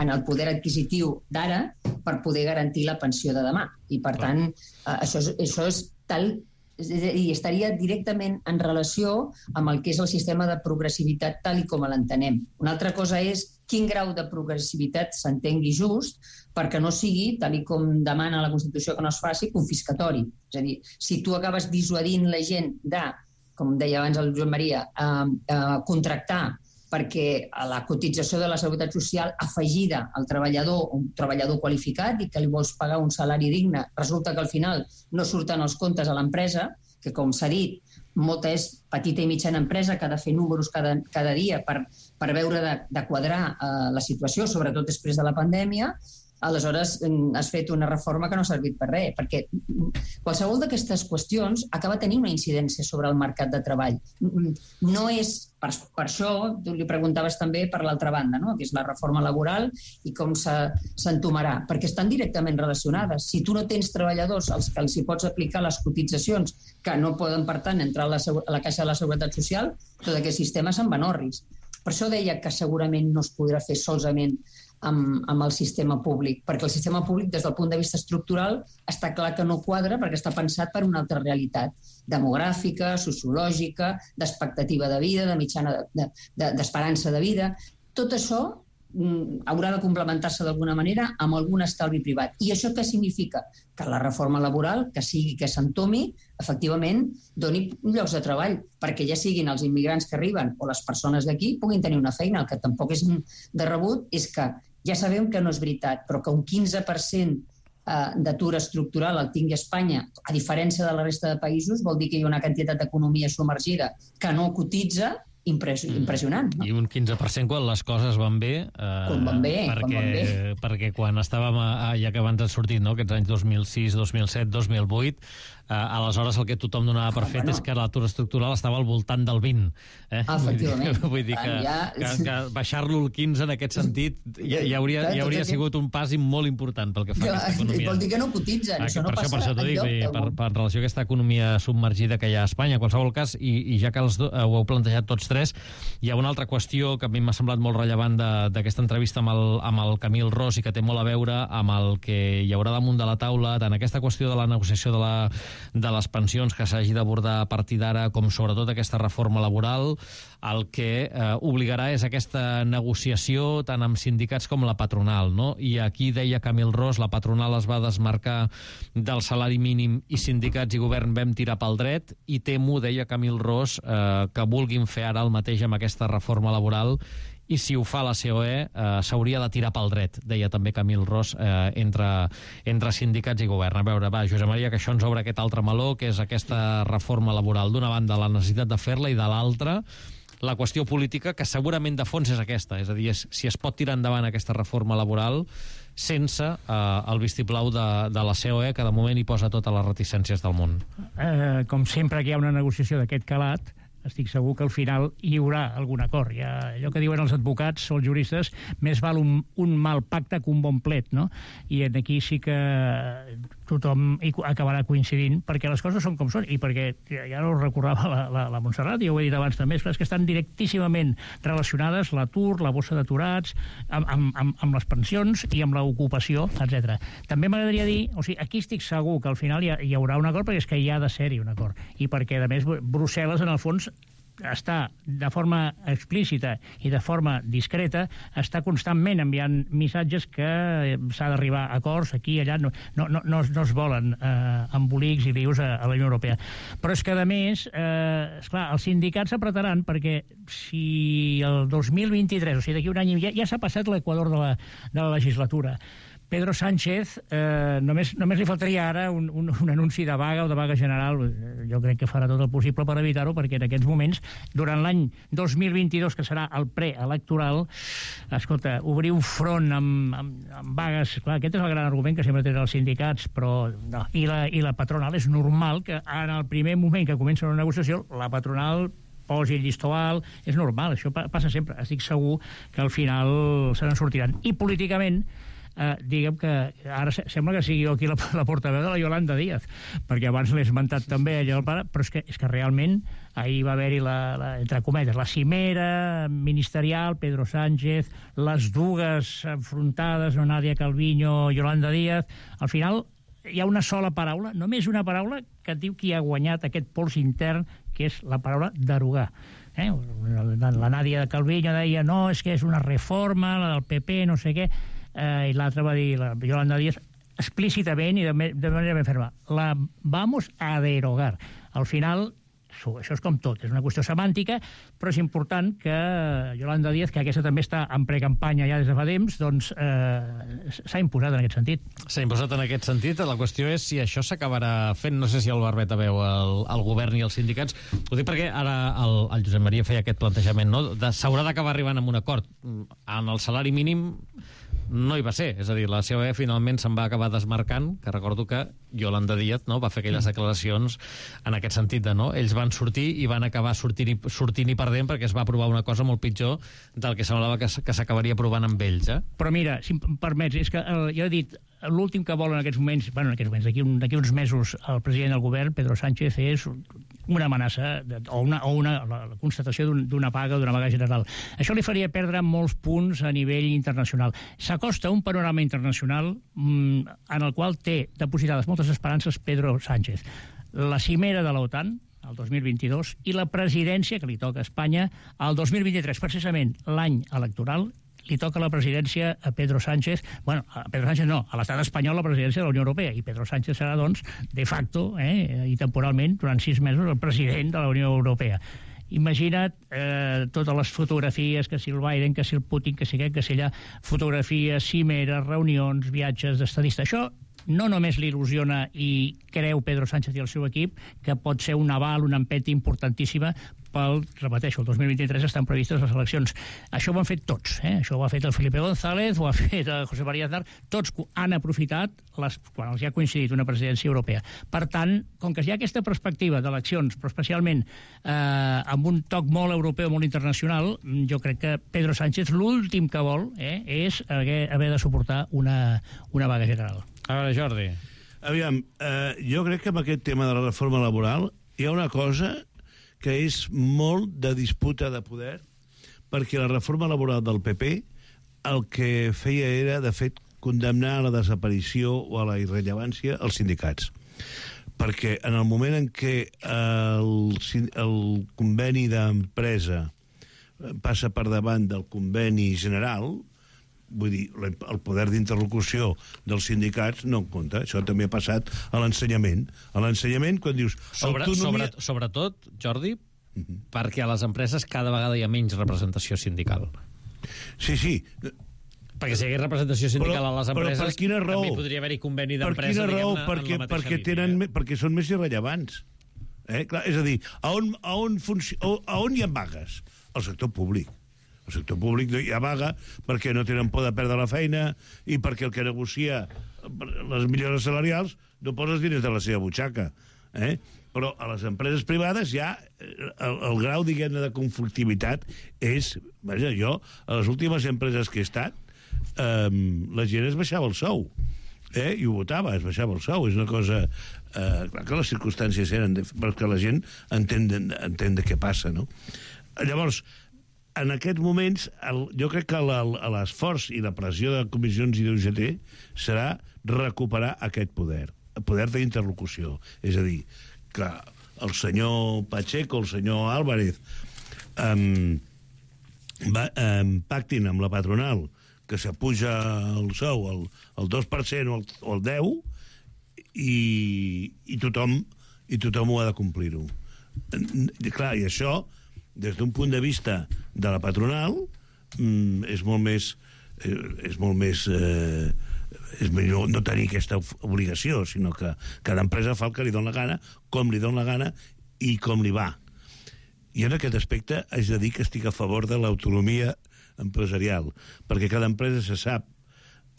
en el poder adquisitiu d'ara per poder garantir la pensió de demà. I, per tant, eh, això, és, això és tal... i estaria directament en relació amb el que és el sistema de progressivitat tal i com l'entenem. Una altra cosa és quin grau de progressivitat s'entengui just perquè no sigui, tal i com demana la Constitució que no es faci, confiscatori. És a dir, si tu acabes dissuadint la gent de, com deia abans el Joan Maria, eh, eh, contractar perquè la cotització de la Seguretat Social afegida al treballador, un treballador qualificat i que li vols pagar un salari digne, resulta que al final no surten els comptes a l'empresa, que com s'ha dit, molta és petita i mitjana empresa que ha de fer números cada, cada dia per, per veure de, de quadrar eh, la situació, sobretot després de la pandèmia. Aleshores has fet una reforma que no ha servit per res, perquè qualsevol d'aquestes qüestions acaba tenint una incidència sobre el mercat de treball. No és, per, per això, tu li preguntaves també per l'altra banda, no? Que és la reforma laboral i com s'entomarà, perquè estan directament relacionades. Si tu no tens treballadors als que els hi pots aplicar les cotitzacions que no poden, per tant, entrar a la, a la caixa de la Seguretat Social, tot aquest sistema se'n va en orris. Per això deia que segurament no es podrà fer solament amb, amb el sistema públic, perquè el sistema públic, des del punt de vista estructural, està clar que no quadra perquè està pensat per una altra realitat demogràfica, sociològica, d'expectativa de vida, de mitjana de, de, d'esperança de vida. Tot això mm, haurà de complementar-se d'alguna manera amb algun estalvi privat. I això què significa? Que la reforma laboral, que sigui que s'entomi, efectivament, doni llocs de treball, perquè ja siguin els immigrants que arriben o les persones d'aquí puguin tenir una feina. El que tampoc és de rebut és que ja sabem que no és veritat, però que un quinze per cent d'atur estructural el tingui Espanya, a diferència de la resta de països, vol dir que hi ha una quantitat d'economia submergida que no cotitza, impressionant. No? I un quinze per cent quan les coses van bé. Eh, quan van bé, perquè, quan van bé. Perquè quan estàvem, a, ja que abans han sortit, no, aquests anys dos mil sis, dos mil set, dos mil vuit, eh, aleshores el que tothom donava per fet bueno. és que l'atur estructural estava al voltant del vint. Eh? Ah, efectivament. Vull dir, vull dir que, ja... que, que baixar-lo al quinze en aquest sentit ja, ja hauria, ja hauria sigut un pas molt important pel que fa a aquesta economia. Vol dir que no cotitzen, ah, això no per passa això, per això t'ho dic, enlloc. Per, per relació a aquesta economia submergida que hi ha a Espanya. En qualsevol cas, i, i ja que els do, ho heu plantejat tots tres, hi ha una altra qüestió que a mi m'ha semblat molt rellevant d'aquesta entrevista amb el, amb el Camil Ros i que té molt a veure amb el que hi haurà damunt de la taula, tant aquesta qüestió de la negociació de, la, de les pensions que s'hagi d'abordar a partir d'ara, com sobretot aquesta reforma laboral, el que eh, obligarà és aquesta negociació tant amb sindicats com la patronal, no? I aquí deia Camil Ros, la patronal es va desmarcar del salari mínim i sindicats i govern vam tirar pel dret, i temo, deia Camil Ros, eh, que vulguin fer ara el mateix amb aquesta reforma laboral, i si ho fa la C O E eh, s'hauria de tirar pel dret, deia també Camil Ros, eh, entre, entre sindicats i govern. A veure, va, Josep Maria, que això ens obre aquest altre meló, que és aquesta reforma laboral. D'una banda, la necessitat de fer-la, i de l'altra, la qüestió política, que segurament de fons és aquesta, és a dir, és, si es pot tirar endavant aquesta reforma laboral sense eh, el vistiplau de, de la C O E, que de moment hi posa totes les reticències del món. Eh, com sempre que hi ha una negociació d'aquest calat, estic segur que al final hi haurà algun acord. Ja, allò que diuen els advocats o els juristes, més val un, un mal pacte que un bon plet, no? I aquí sí que tothom hi acabarà coincidint, perquè les coses són com són, i perquè, ja no recordava la, la, la Montserrat, i ho he dit abans també, és que estan directíssimament relacionades l'atur, la bossa d'aturats, amb, amb, amb, amb les pensions i amb l'ocupació, etcètera. També m'agradaria dir, o sigui, aquí estic segur que al final hi, ha, hi haurà un acord, perquè és que hi ha de ser-hi un acord, i perquè, a més, Brussel·les, en el fons, està de forma explícita i de forma discreta, està constantment enviant missatges que s'ha d'arribar a acords aquí i allà, no, no, no, no es volen eh, embolics i lius a, a la Unió Europea. Però és que, a més, eh, esclar, els sindicats s'apretaran, perquè si el dos mil vint-i-tres, o sigui, d'aquí un any, ja, ja s'ha passat l'equador de la, de la legislatura, Pedro Sánchez, eh, només, només li faltaria ara un, un, un anunci de vaga o de vaga general. Jo crec que farà tot el possible per evitar-ho, perquè en aquests moments, durant l'any dos mil vint-i-dos, que serà el preelectoral, escolta, obrir un front amb, amb, amb vagues, clar, aquest és el gran argument que sempre tenen els sindicats, però no. I la, i la patronal, és normal que en el primer moment que comença una negociació, la patronal posi el llistó alt, és normal, això passa sempre. Estic segur que al final se n'en sortiran. I políticament, Uh, diguem que ara sembla que sigui jo aquí la, la portaveu de la Yolanda Díaz, perquè abans l'he esmentat també allò del pare, però és que, és que realment ahir va haver-hi la, la, entre cometes, la cimera ministerial, Pedro Sánchez, les dues enfrontades, no, Nadia Calviño, Yolanda Díaz. Al final hi ha una sola paraula, només una paraula, que diu qui ha guanyat aquest pols intern, que és la paraula derogar. Eh? La Nadia Calviño deia no, és que és una reforma, la del P P, no sé què, eh, i l'altra va dir, la Yolanda Díaz, explícitament i de, de manera ben ferma, la vamos a derogar. Al final, això és com tot, és una qüestió semàntica, però és important que Yolanda Díaz, que aquesta també està en precampanya ja des de fa temps, doncs eh, s'ha imposat en aquest sentit. S'ha imposat en aquest sentit. La qüestió és si això s'acabarà fent. No sé si el Barbeta veu el, el govern i els sindicats. Ho dic perquè ara el, el Josep Maria feia aquest plantejament, no? De, s'haurà d'acabar arribant amb un acord. En el salari mínim no hi va ser, és a dir, la C O E finalment se'n va acabar desmarcant, que recordo que Yolanda Díaz, no, va fer aquelles declaracions en aquest sentit de, no, ells van sortir i van acabar sortint i, sortint i perdent perquè es va aprovar una cosa molt pitjor del que semblava que, que s'acabaria aprovant amb ells, eh? Però mira, si em permets, és que el, jo he dit, l'últim que vol en aquests moments, bueno, en aquests moments, d'aquí un, d'aquí uns mesos, el president del govern, Pedro Sánchez, és una amenaça de, o, una, o una, la, la constatació d'un, d'una paga, d'una vaga general. Això li faria perdre molts punts a nivell internacional. S'acosta un panorama internacional mmm, en el qual té depositades moltes esperances Pedro Sánchez. La cimera de l'OTAN, el dos mil vint-i-dos, i la presidència que li toca a Espanya el dos mil vint-i-tres, precisament l'any electoral, li toca la presidència a Pedro Sánchez, bueno, a Pedro Sánchez no, a l'estat espanyol la presidència de la Unió Europea, i Pedro Sánchez serà, doncs, de facto, eh, i temporalment, durant sis mesos, el president de la Unió Europea. Imagina't eh, totes les fotografies, que si el Biden, que si el Putin, que si aquest, que si allà, fotografies, cimeres, reunions, viatges d'estadista. Això no només l'il·lusiona i creu Pedro Sánchez i el seu equip, que pot ser un aval, una empenta importantíssima pel, repeteixo, el dos mil vint-i-tres estan previstes les eleccions. Això ho han fet tots, eh? Això ho ha fet el Felipe González, ho ha fet el José María Aznar, tots han aprofitat les, quan els hi ha coincidit una presidència europea. Per tant, com que hi ha aquesta perspectiva d'eleccions, però especialment eh, amb un toc molt europeu, molt internacional, jo crec que Pedro Sánchez l'últim que vol eh, és haver, haver de suportar una, una vaga general. A veure, Jordi. Aviam, eh, jo crec que amb aquest tema de la reforma laboral hi ha una cosa que és molt de disputa de poder, perquè la reforma laboral del P P el que feia era, de fet, condemnar a la desaparició o a la irrellevància els sindicats. Perquè en el moment en què el, el conveni d'empresa passa per davant del conveni general, vull dir, el poder d'interlocució dels sindicats no en compta. Això també ha passat a l'ensenyament. A l'ensenyament, quan dius... Sobre, autonomia... sobre, sobretot, Jordi, uh-huh. perquè a les empreses cada vegada hi ha menys representació sindical. Sí, sí. Perquè si hi hagués representació sindical però, a les empreses, però per quina raó? també podria haver-hi conveni d'empresa. Per quina raó? Perquè, en la perquè, línia, tenen, eh? perquè són més irrellevants. Eh? Clar, és a dir, a on, a, on funci... a on hi ha vagues? Al sector públic. El sector públic hi ha vaga perquè no tenen por de perdre la feina i perquè el que negocia les millores salarials no posa els diners de la seva butxaca. Eh? Però a les empreses privades ja el, el grau, diguem-ne, de conflictivitat és... Vaja, jo, a les últimes empreses que he estat, eh, la gent es baixava el sou. Eh? I ho votava, es baixava el sou. És una cosa... Eh, clar que les circumstàncies eren... De, perquè la gent entén, entén de què passa, no? Llavors, en aquests moments, el, jo crec que l'esforç i la pressió de comissions i d'U G T serà recuperar aquest poder, el poder d'interlocució. És a dir, que el senyor Pacheco, el senyor Álvarez, um, va, um, pactin amb la patronal que s'apuja el sou el, el dos per cent o el, o el deu per cent i, i, tothom, i tothom ho ha de complir-ho. Clar, i això... des d'un punt de vista de la patronal mm, és molt més eh, és molt més eh, és millor no tenir aquesta obligació, sinó que cada empresa fa el que li dona la gana, com li dona la gana i com li va. I en aquest aspecte haig de dir que estic a favor de l'autonomia empresarial, perquè cada empresa se sap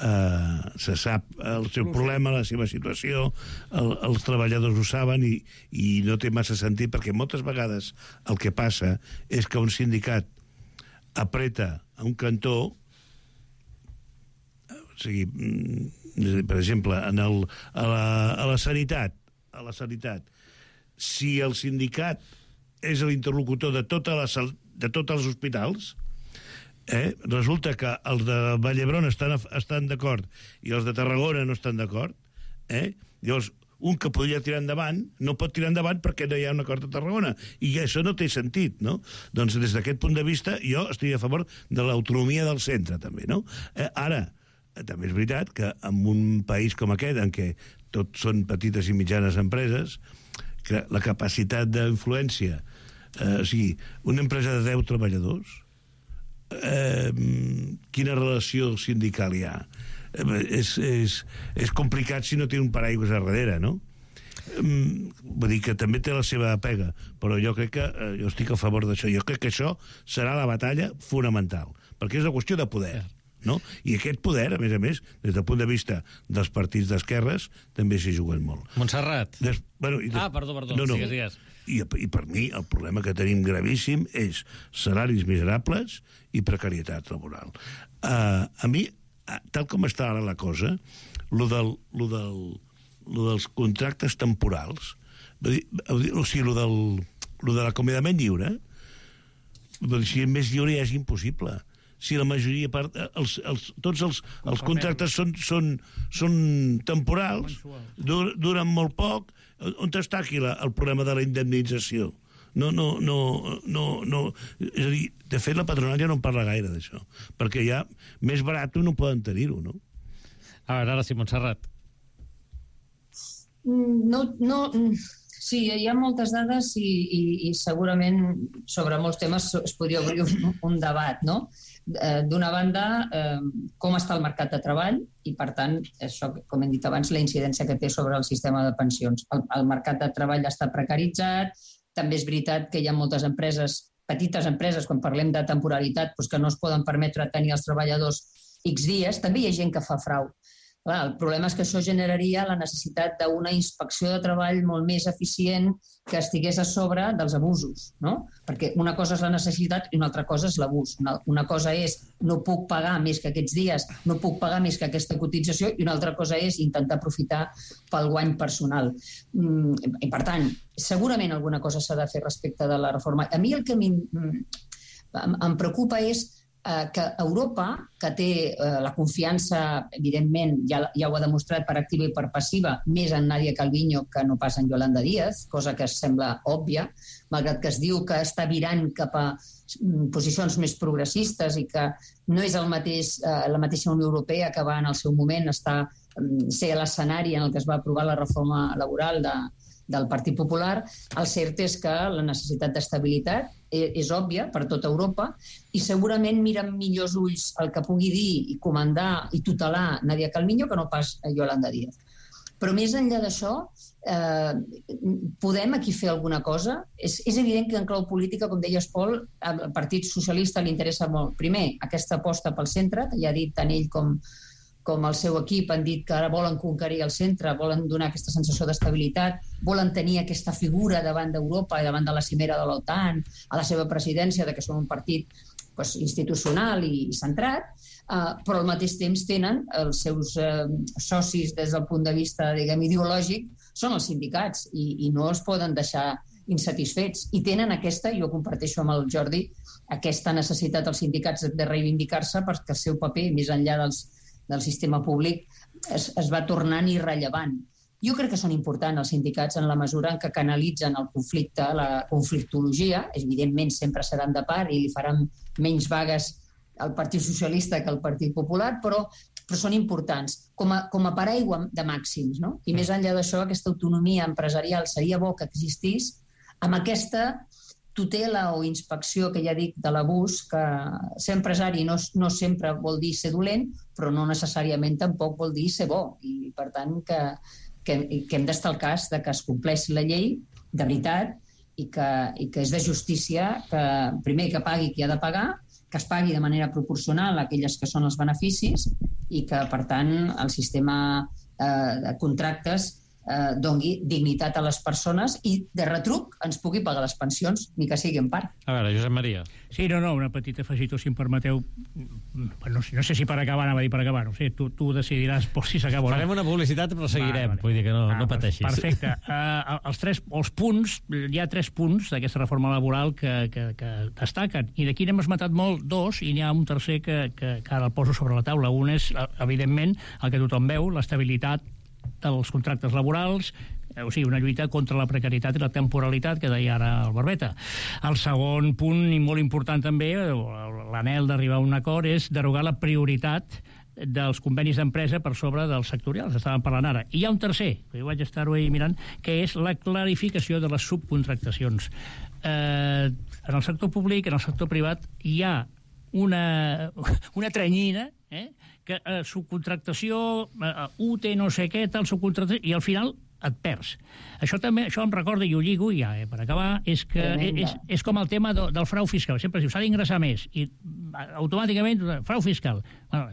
Uh, se sap el seu problema, la seva situació, el, els treballadors ho saben i, i no té massa sentit, perquè moltes vegades el que passa és que un sindicat apreta a un cantó, o sigui, per exemple, en el, a, la, a la sanitat, a la sanitat, si el sindicat és l'interlocutor de, tota la, de tots els hospitals, Eh? resulta que els de Vallhebron estan, estan d'acord i els de Tarragona no estan d'acord, eh? llavors un que podria tirar endavant no pot tirar endavant perquè no hi ha un acord a Tarragona, i això no té sentit, no? Doncs des d'aquest punt de vista jo estic a favor de l'autonomia del centre també, no? Eh, ara, també és veritat que en un país com aquest en què tot són petites i mitjanes empreses, que la capacitat d'influència, eh, o sigui, una empresa de deu treballadors, eh, quina relació sindical hi ha? Eh, és, és, és complicat si no té un paraigües a darrere, no? Eh, vull dir que també té la seva pega, però jo crec que, eh, jo estic a favor d'això, jo crec que això serà la batalla fonamental, perquè és una qüestió de poder. No? I aquest poder, a més a més, des del punt de vista dels partits d'esquerres, també s'hi juguen molt. Montserrat. Des, bueno, i des, ah, perdó, perdó, no, no. digues, digues. I, I per mi el problema que tenim gravíssim és salaris miserables i precarietat laboral. Uh, a mi, tal com està ara la cosa, lo, del, lo, del, lo dels contractes temporals, o sigui, lo, del, lo de l'acomiadament lliure, si més lliure ja és impossible. Si la majoria, part, els, els, tots els, els contractes són, són, són temporals, dur, duren molt poc, on està aquí la, el problema de la indemnització? No, no, no, no, no. És a dir, de fet, la patronal ja no en parla gaire d'això, perquè ja més barat no poden tenir-ho, no? A veure, ara sí, Montserrat. No, no... Sí, hi ha moltes dades i, i, i segurament sobre molts temes es podria obrir un, un debat, no? D'una banda, eh, com està el mercat de treball i, per tant, això, com hem dit abans, la incidència que té sobre el sistema de pensions. El, el mercat de treball està precaritzat, també és veritat que hi ha moltes empreses, petites empreses, quan parlem de temporalitat, doncs que no es poden permetre tenir els treballadors X dies, també hi ha gent que fa frau. Clar, el problema és que això generaria la necessitat d'una inspecció de treball molt més eficient que estigués a sobre dels abusos, no? Perquè una cosa és la necessitat i una altra cosa és l'abús. Una, una cosa és no puc pagar més que aquests dies, no puc pagar més que aquesta cotització, i una altra cosa és intentar aprofitar pel guany personal. Mm, i per tant, segurament alguna cosa s'ha de fer respecte de la reforma. A mi el que em, em preocupa és que Europa, que té eh, la confiança, evidentment, ja, ja ho ha demostrat per activa i per passiva, més en Nadia Calviño que no pas en Yolanda Díaz, cosa que sembla òbvia, malgrat que es diu que està virant cap a posicions més progressistes i que no és el mateix, eh, la mateixa Unió Europea que va en el seu moment estar, ser l'escenari en el que es va aprovar la reforma laboral de, del Partit Popular. El cert és que la necessitat d'estabilitat és òbvia per tota Europa i segurament mira amb millors ulls el que pugui dir i comandar i tutelar Nadia Calviño que no pas Yolanda Díaz. Però més enllà d'això, eh, podem aquí fer alguna cosa? És, és evident que en clau política, com deies, Pol, al Partit Socialista li interessa molt, primer, aquesta aposta pel centre, que ja ha dit tant ell com com el seu equip han dit que ara volen conquerir el centre, volen donar aquesta sensació d'estabilitat, volen tenir aquesta figura davant d'Europa i davant de la cimera de l'OTAN, a la seva presidència, de que són un partit pues, institucional i, i centrat, uh, però al mateix temps tenen els seus uh, socis des del punt de vista, diguem, ideològic, són els sindicats i, i no els poden deixar insatisfets. I tenen aquesta, jo comparteixo amb el Jordi, aquesta necessitat dels sindicats de reivindicar-se perquè el seu paper, més enllà dels del sistema públic, es, es va tornant irrellevant. Jo crec que són importants els sindicats en la mesura en que canalitzen el conflicte, la conflictologia, evidentment sempre seran de part i li faran menys vagues al Partit Socialista que al Partit Popular, però, però són importants com a, com a paraigua de màxims, no? I més enllà d'això, aquesta autonomia empresarial seria bo que existís amb aquesta tutela o inspecció, que ja dic, de l'abús, que ser empresari no, no sempre vol dir ser dolent, però no necessàriament tampoc vol dir ser bo. I, per tant, que, que, que hem d'estar al cas de que es compleixi la llei de veritat i que, i que és de justícia que, primer, que pagui qui ha de pagar, que es pagui de manera proporcional a aquelles que són els beneficis i que, per tant, el sistema eh, de contractes Eh, doni dignitat a les persones i de retruc ens pugui pagar les pensions, ni que sigui en part. A veure, Josep Maria. Sí, no, no, una petita afegitó, si em permeteu. No, no sé si per acabar, anava a dir per acabar, no sé, tu, tu decidiràs por si s'acaba. Farem una publicitat però seguirem, vale, vale. Vull dir que no, ah, no pateixis. Perfecte. Uh, els, tres, els punts, hi ha tres punts d'aquesta reforma laboral que, que, que destaquen, i d'aquí n'hem esmentat molt dos, i n'hi ha un tercer que, que, que ara el poso sobre la taula. Un és, evidentment, el que tothom veu, l'estabilitat dels contractes laborals, o sigui, una lluita contra la precarietat i la temporalitat, que deia ara el Barbeta. El segon punt, i molt important també, l'anhel d'arribar a un acord, és derogar la prioritat dels convenis d'empresa per sobre dels sectorials, estàvem parlant ara. I hi ha un tercer, que jo vaig estar-ho ahir mirant, que és la clarificació de les subcontractacions. Eh, en el sector públic, en el sector privat, hi ha una, una trenyina, eh, que eh, subcontractació, eh, U T no sé què, tal subcontractació, i al final et perds. Això també, això em recorda, i ho lligo, i ja, eh, per acabar, és que és, és com el tema do, del frau fiscal. Sempre es diu, s'ha d'ingressar més, i automàticament, frau fiscal. Bueno,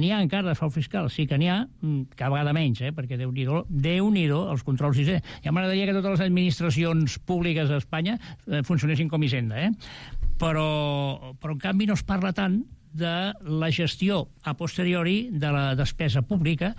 n'hi ha encara de frau fiscal, sí que n'hi ha, cada vegada menys, eh, perquè Déu-n'hi-do, Déu-n'hi-do els controls. Ja m'agradaria que totes les administracions públiques d'Espanya eh, funcionessin com Hisenda, eh? Però, però en canvi no es parla tant de la gestió a posteriori de la despesa pública,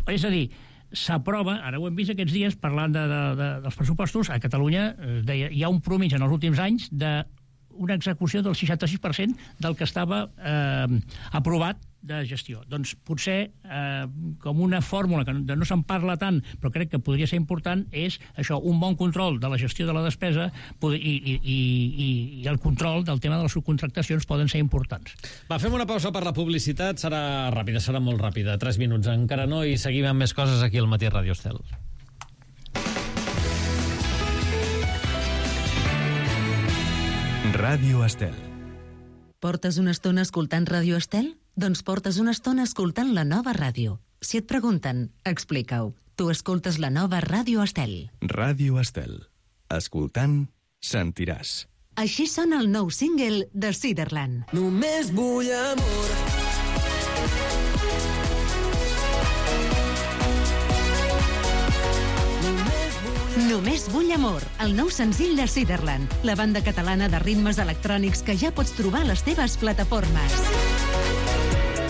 és a dir, s'aprova, ara ho hem vist aquests dies, parlant de, de, de, dels pressupostos, a Catalunya eh, deia, hi ha un promís en els últims anys d'una execució del seixanta-sis per cent del que estava eh, aprovat de gestió. Doncs potser eh, com una fórmula que no, no se'n parla tant, però crec que podria ser important, és això, un bon control de la gestió de la despesa i, i, i, i el control del tema de les subcontractacions poden ser importants. Va, fem una pausa per la publicitat, serà ràpida, serà molt ràpida, tres minuts encara no, i seguim amb més coses aquí al Matí Ràdio Estel. Ràdio Estel. Portes una estona escoltant Ràdio Estel? Doncs portes una estona escoltant la nova ràdio. Si et pregunten, explica-ho. Tu escoltes la nova Ràdio Estel. Ràdio Estel. Escoltant, sentiràs. Així sona el nou single de Ciderland. Només vull amor. Només vull amor, el nou senzill de Ciderland, la banda catalana de ritmes electrònics que ja pots trobar a les teves plataformes.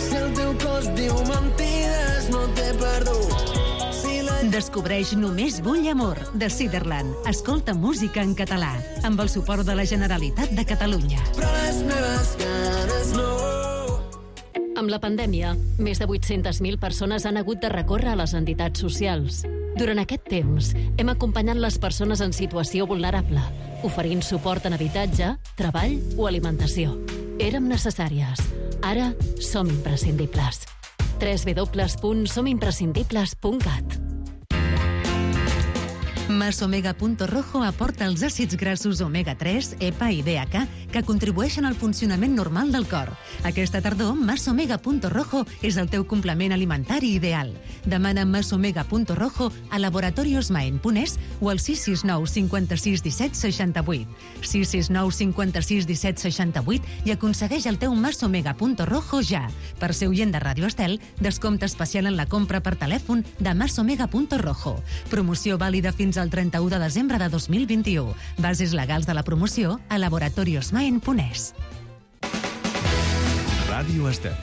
Si el teu cos diu mentides, no t'he perdut. Si la... Descobreix Només vull amor, de Ciderland. Escolta música en català, amb el suport de la Generalitat de Catalunya. Però les meves ganes no... Amb la pandèmia, més de vuit-centes mil persones han hagut de recórrer a les entitats socials. Durant aquest temps, hem acompanyat les persones en situació vulnerable, oferint suport en habitatge, treball o alimentació. Érem necessàries. Ara som imprescindibles. w w w punt som imprescindibles punt cat. Masomega.rojo aporta els àcids grassos omega tres, E P A i D H A que contribueixen al funcionament normal del cor. Aquesta tardor, Masomega.rojo és el teu complement alimentari ideal. Demana Masomega.rojo a Laboratorios Maen Punès o al sis sis nou cinquanta-sis disset seixanta-vuit. sis sis nou cinquanta-sis disset seixanta-vuit i aconsegueix el teu Masomega.rojo ja. Per ser oient de Ràdio Estel, descompte especial en la compra per telèfon de Masomega.rojo. Promoció vàlida fins al trenta-u de desembre de dos mil vint-i-u. Bases legals de la promoció a Laboratorios Maen Punès. Ràdio Estel.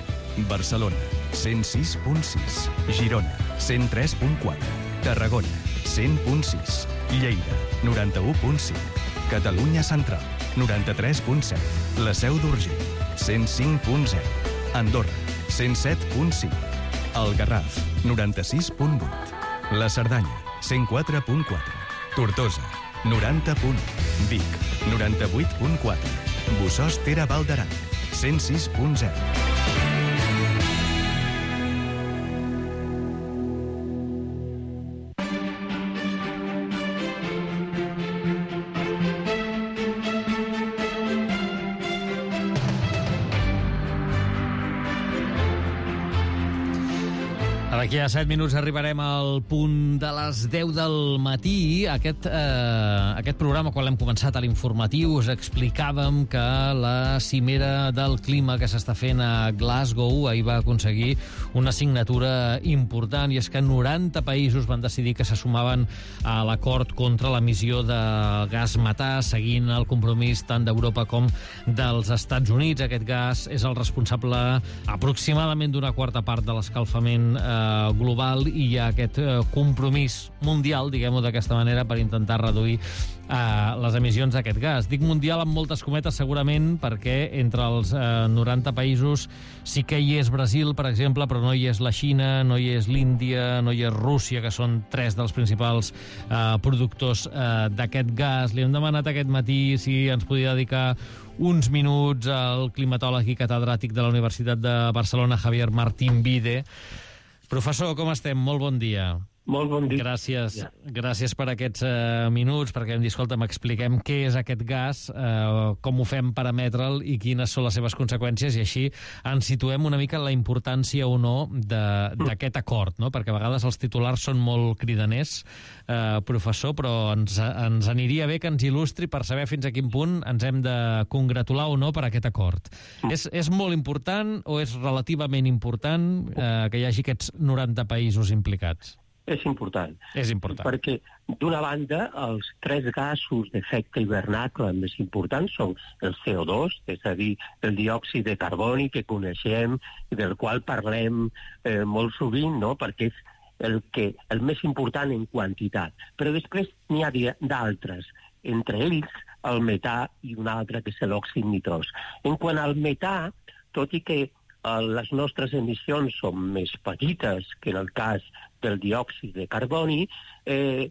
Barcelona, cent sis punt sis. Girona, cent tres punt quatre. Tarragona, cent punt sis. Lleida, noranta-u punt cinc. Catalunya Central, noranta-tres punt set. La Seu d'Urgell, cent cinc punt zero. Andorra, cent set punt cinc. El Garraf, noranta-sis punt vuit. La Cerdanya, cent quatre punt quatre. Tortosa, noranta punt u. Vic, noranta-vuit punt quatre. Bossòst Ter Val d'Aran, cent sis punt zero. D'aquí a set minuts arribarem al punt de les deu del matí. Aquest, eh, aquest programa, quan l'hem començat a l'informatiu, us explicàvem que la cimera del clima que s'està fent a Glasgow ahir va aconseguir una signatura important, i és que noranta països van decidir que se sumaven a l'acord contra l'emissió de gas metà, seguint el compromís tant d'Europa com dels Estats Units. Aquest gas és el responsable aproximadament d'una quarta part de l'escalfament eh, uh, global i hi ha aquest uh, compromís mundial, diguem-ho d'aquesta manera, per intentar reduir uh, les emissions d'aquest gas. Dic mundial amb moltes cometes segurament perquè entre els uh, noranta països sí que hi és Brasil, per exemple, però no hi és la Xina, no hi és l'Índia, no hi és Rússia, que són tres dels principals uh, productors uh, d'aquest gas. Li hem demanat aquest matí si ens podia dedicar uns minuts al climatòleg i catedràtic de la Universitat de Barcelona, Javier Martín Vide. Professor, com estem? Molt bon dia. Molt bon dia. Gràcies, gràcies per aquests uh, minuts, perquè hem dit, escolta, m'expliquem què és aquest gas, uh, com ho fem per emetre'l i quines són les seves conseqüències, i així ens situem una mica en la importància o no d'aquest acord, no? Perquè a vegades els titulars són molt cridaners, uh, professor, però ens, ens aniria bé que ens il·lustri per saber fins a quin punt ens hem de congratular o no per aquest acord. És, és molt important o és relativament important uh, que hi hagi aquests noranta països implicats? És important. És important. Perquè, d'una banda, els tres gasos d'efecte hivernacle més importants són el C O dos, és a dir, el diòxid de carboni que coneixem, del qual parlem eh, molt sovint, no?, perquè és el, que, el més important en quantitat. Però després n'hi ha d'altres, entre ells el metà i un altre que és l'òxid nitrós. En quant al metà, tot i que les nostres emissions són més petites que en el cas del diòxid de carboni, eh,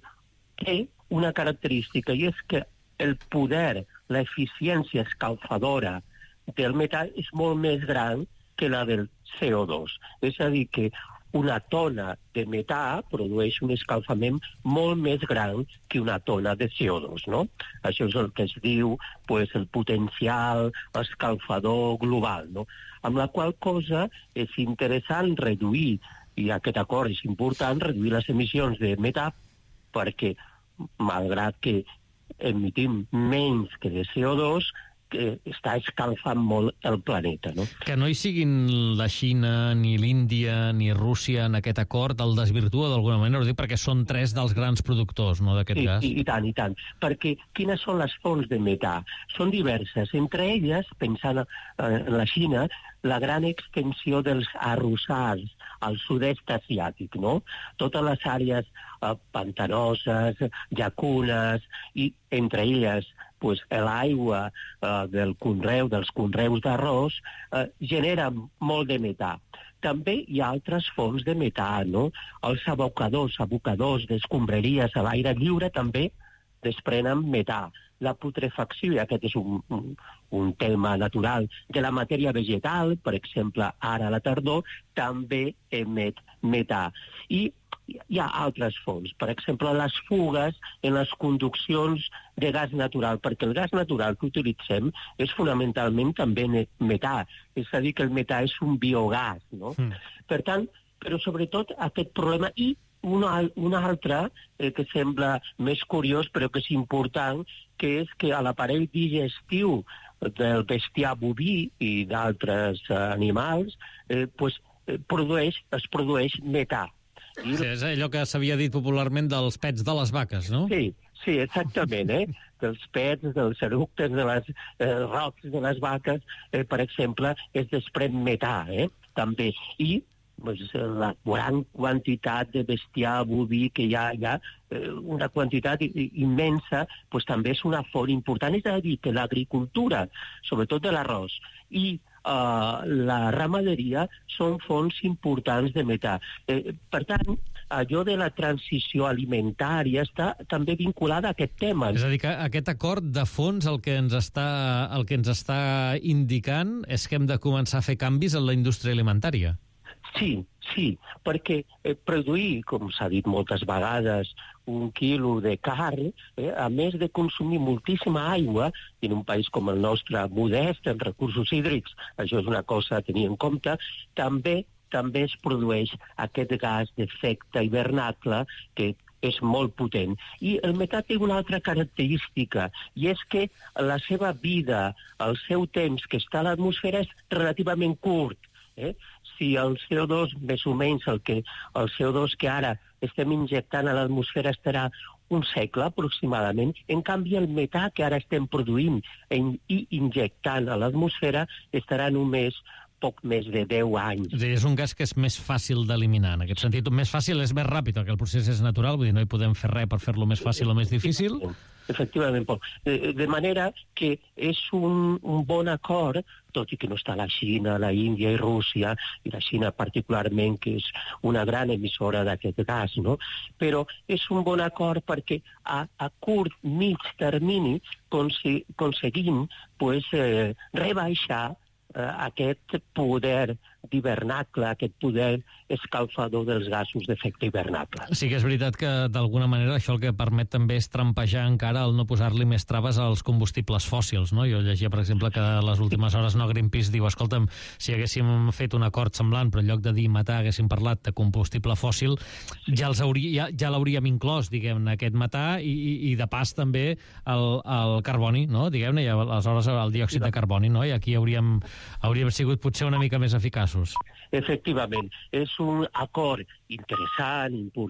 té una característica, i és que el poder, l'eficiència escalfadora del metà és molt més gran que la del C O dos. És a dir, que una tona de metà produeix un escalfament molt més gran que una tona de C O dos, no? Això és el que es diu pues, el potencial escalfador global, no? Amb la qual cosa és interessant reduir, i aquest acord és important, reduir les emissions de metà perquè, malgrat que emitim menys que de C O dos, que està escalfant molt el planeta, no? Que no hi siguin la Xina, ni l'Índia, ni Rússia en aquest acord el desvirtua d'alguna manera, ho dic perquè són tres dels grans productors, no?, d'aquest sí, gas. I, I tant, i tant. Perquè quines són les fonts de metà? Són diverses. Entre elles, pensant en la Xina, la gran extensió dels arrossars al sud-est asiàtic, no? Totes les àrees eh, pantanoses, llacunes, i entre elles pues, l'aigua eh, del conreu, dels conreus d'arròs, eh, genera molt de metà. També hi ha altres fonts de metà, no? Els abocadors, abocadors d'escombraries a l'aire lliure també desprenen metà. La putrefacció, i aquest és un, un, un tema natural, de la matèria vegetal, per exemple, ara a la tardor, també emet metà. I hi ha altres fonts, per exemple, les fugues en les conduccions de gas natural, perquè el gas natural que utilitzem és fonamentalment també metà, és a dir, que el metà és un biogàs, no? Mm. Per tant, però sobretot aquest problema, i un, un altre eh, que sembla més curiós però que és important, que és que a l'aparell digestiu del bestiar boví i d'altres eh, animals eh, pues, eh, produeix, es produeix metà. I... Sí, és allò que s'havia dit popularment dels pets de les vaques, no? Sí, sí, exactament, eh? Dels pets, dels eructes, de les eh, rocs de les vaques, eh, per exemple, es desprèn metà, eh? També. I pues, la gran quantitat de bestiar boví que hi ha, hi ha eh, una quantitat immensa, pues, també és una font important. És a dir, que l'agricultura, sobretot de l'arròs, i Uh, la ramaderia són fonts importants de metà. Eh, per tant, allò de la transició alimentària està també vinculada a aquest tema. És a dir, que aquest acord de fons el que ens està, el que ens està indicant és que hem de començar a fer canvis en la indústria alimentària. Sí, sí, perquè eh, produir, com s'ha dit moltes vegades, un quilo de carn, eh, a més de consumir moltíssima aigua, i en un país com el nostre modest en recursos hídrics, això és una cosa a tenir en compte, també també es produeix aquest gas d'efecte hivernacle que és molt potent. I el metà té una altra característica, i és que la seva vida, el seu temps que està a l'atmosfera és relativament curt. Eh? Si el C O dos, més o menys el, que, el C O dos que ara estem injectant a l'atmosfera estarà un segle aproximadament, en canvi el metà que ara estem produint i injectant a l'atmosfera estarà només poc més de deu anys. És a dir, és un gas que és més fàcil d'eliminar, en aquest sentit. Més fàcil és més ràpid, perquè el procés és natural, vull dir, no hi podem fer res per fer-lo més fàcil o més difícil. Efectivament, Pol. De manera que és un, un bon acord, tot i que no està la Xina, la Índia i Rússia, i la Xina particularment, que és una gran emissora d'aquest gas, no? Però és un bon acord perquè a, a curt, mig termini aconseguim pues, eh, rebaixar eh, aquest poder d'hivernacle, aquest poder escalfador dels gasos d'efecte hivernacle. Sí que és veritat que, d'alguna manera, això el que permet també és trampejar encara el no posar-li més traves als combustibles fòssils, no? Jo llegia, per exemple, que a les últimes hores no Greenpeace diu, escolta'm, si haguéssim fet un acord semblant, però en lloc de dir metà haguéssim parlat de combustible fòssil, ja els hauria, ja, ja l'hauríem inclòs, diguem-ne, aquest metà i, i, i de pas també el, el carboni, no? Diguem-ne, i aleshores el diòxid de carboni, no? I aquí hauríem, hauríem sigut potser una mica més eficaços. Efectivament, és un acord interessant, important,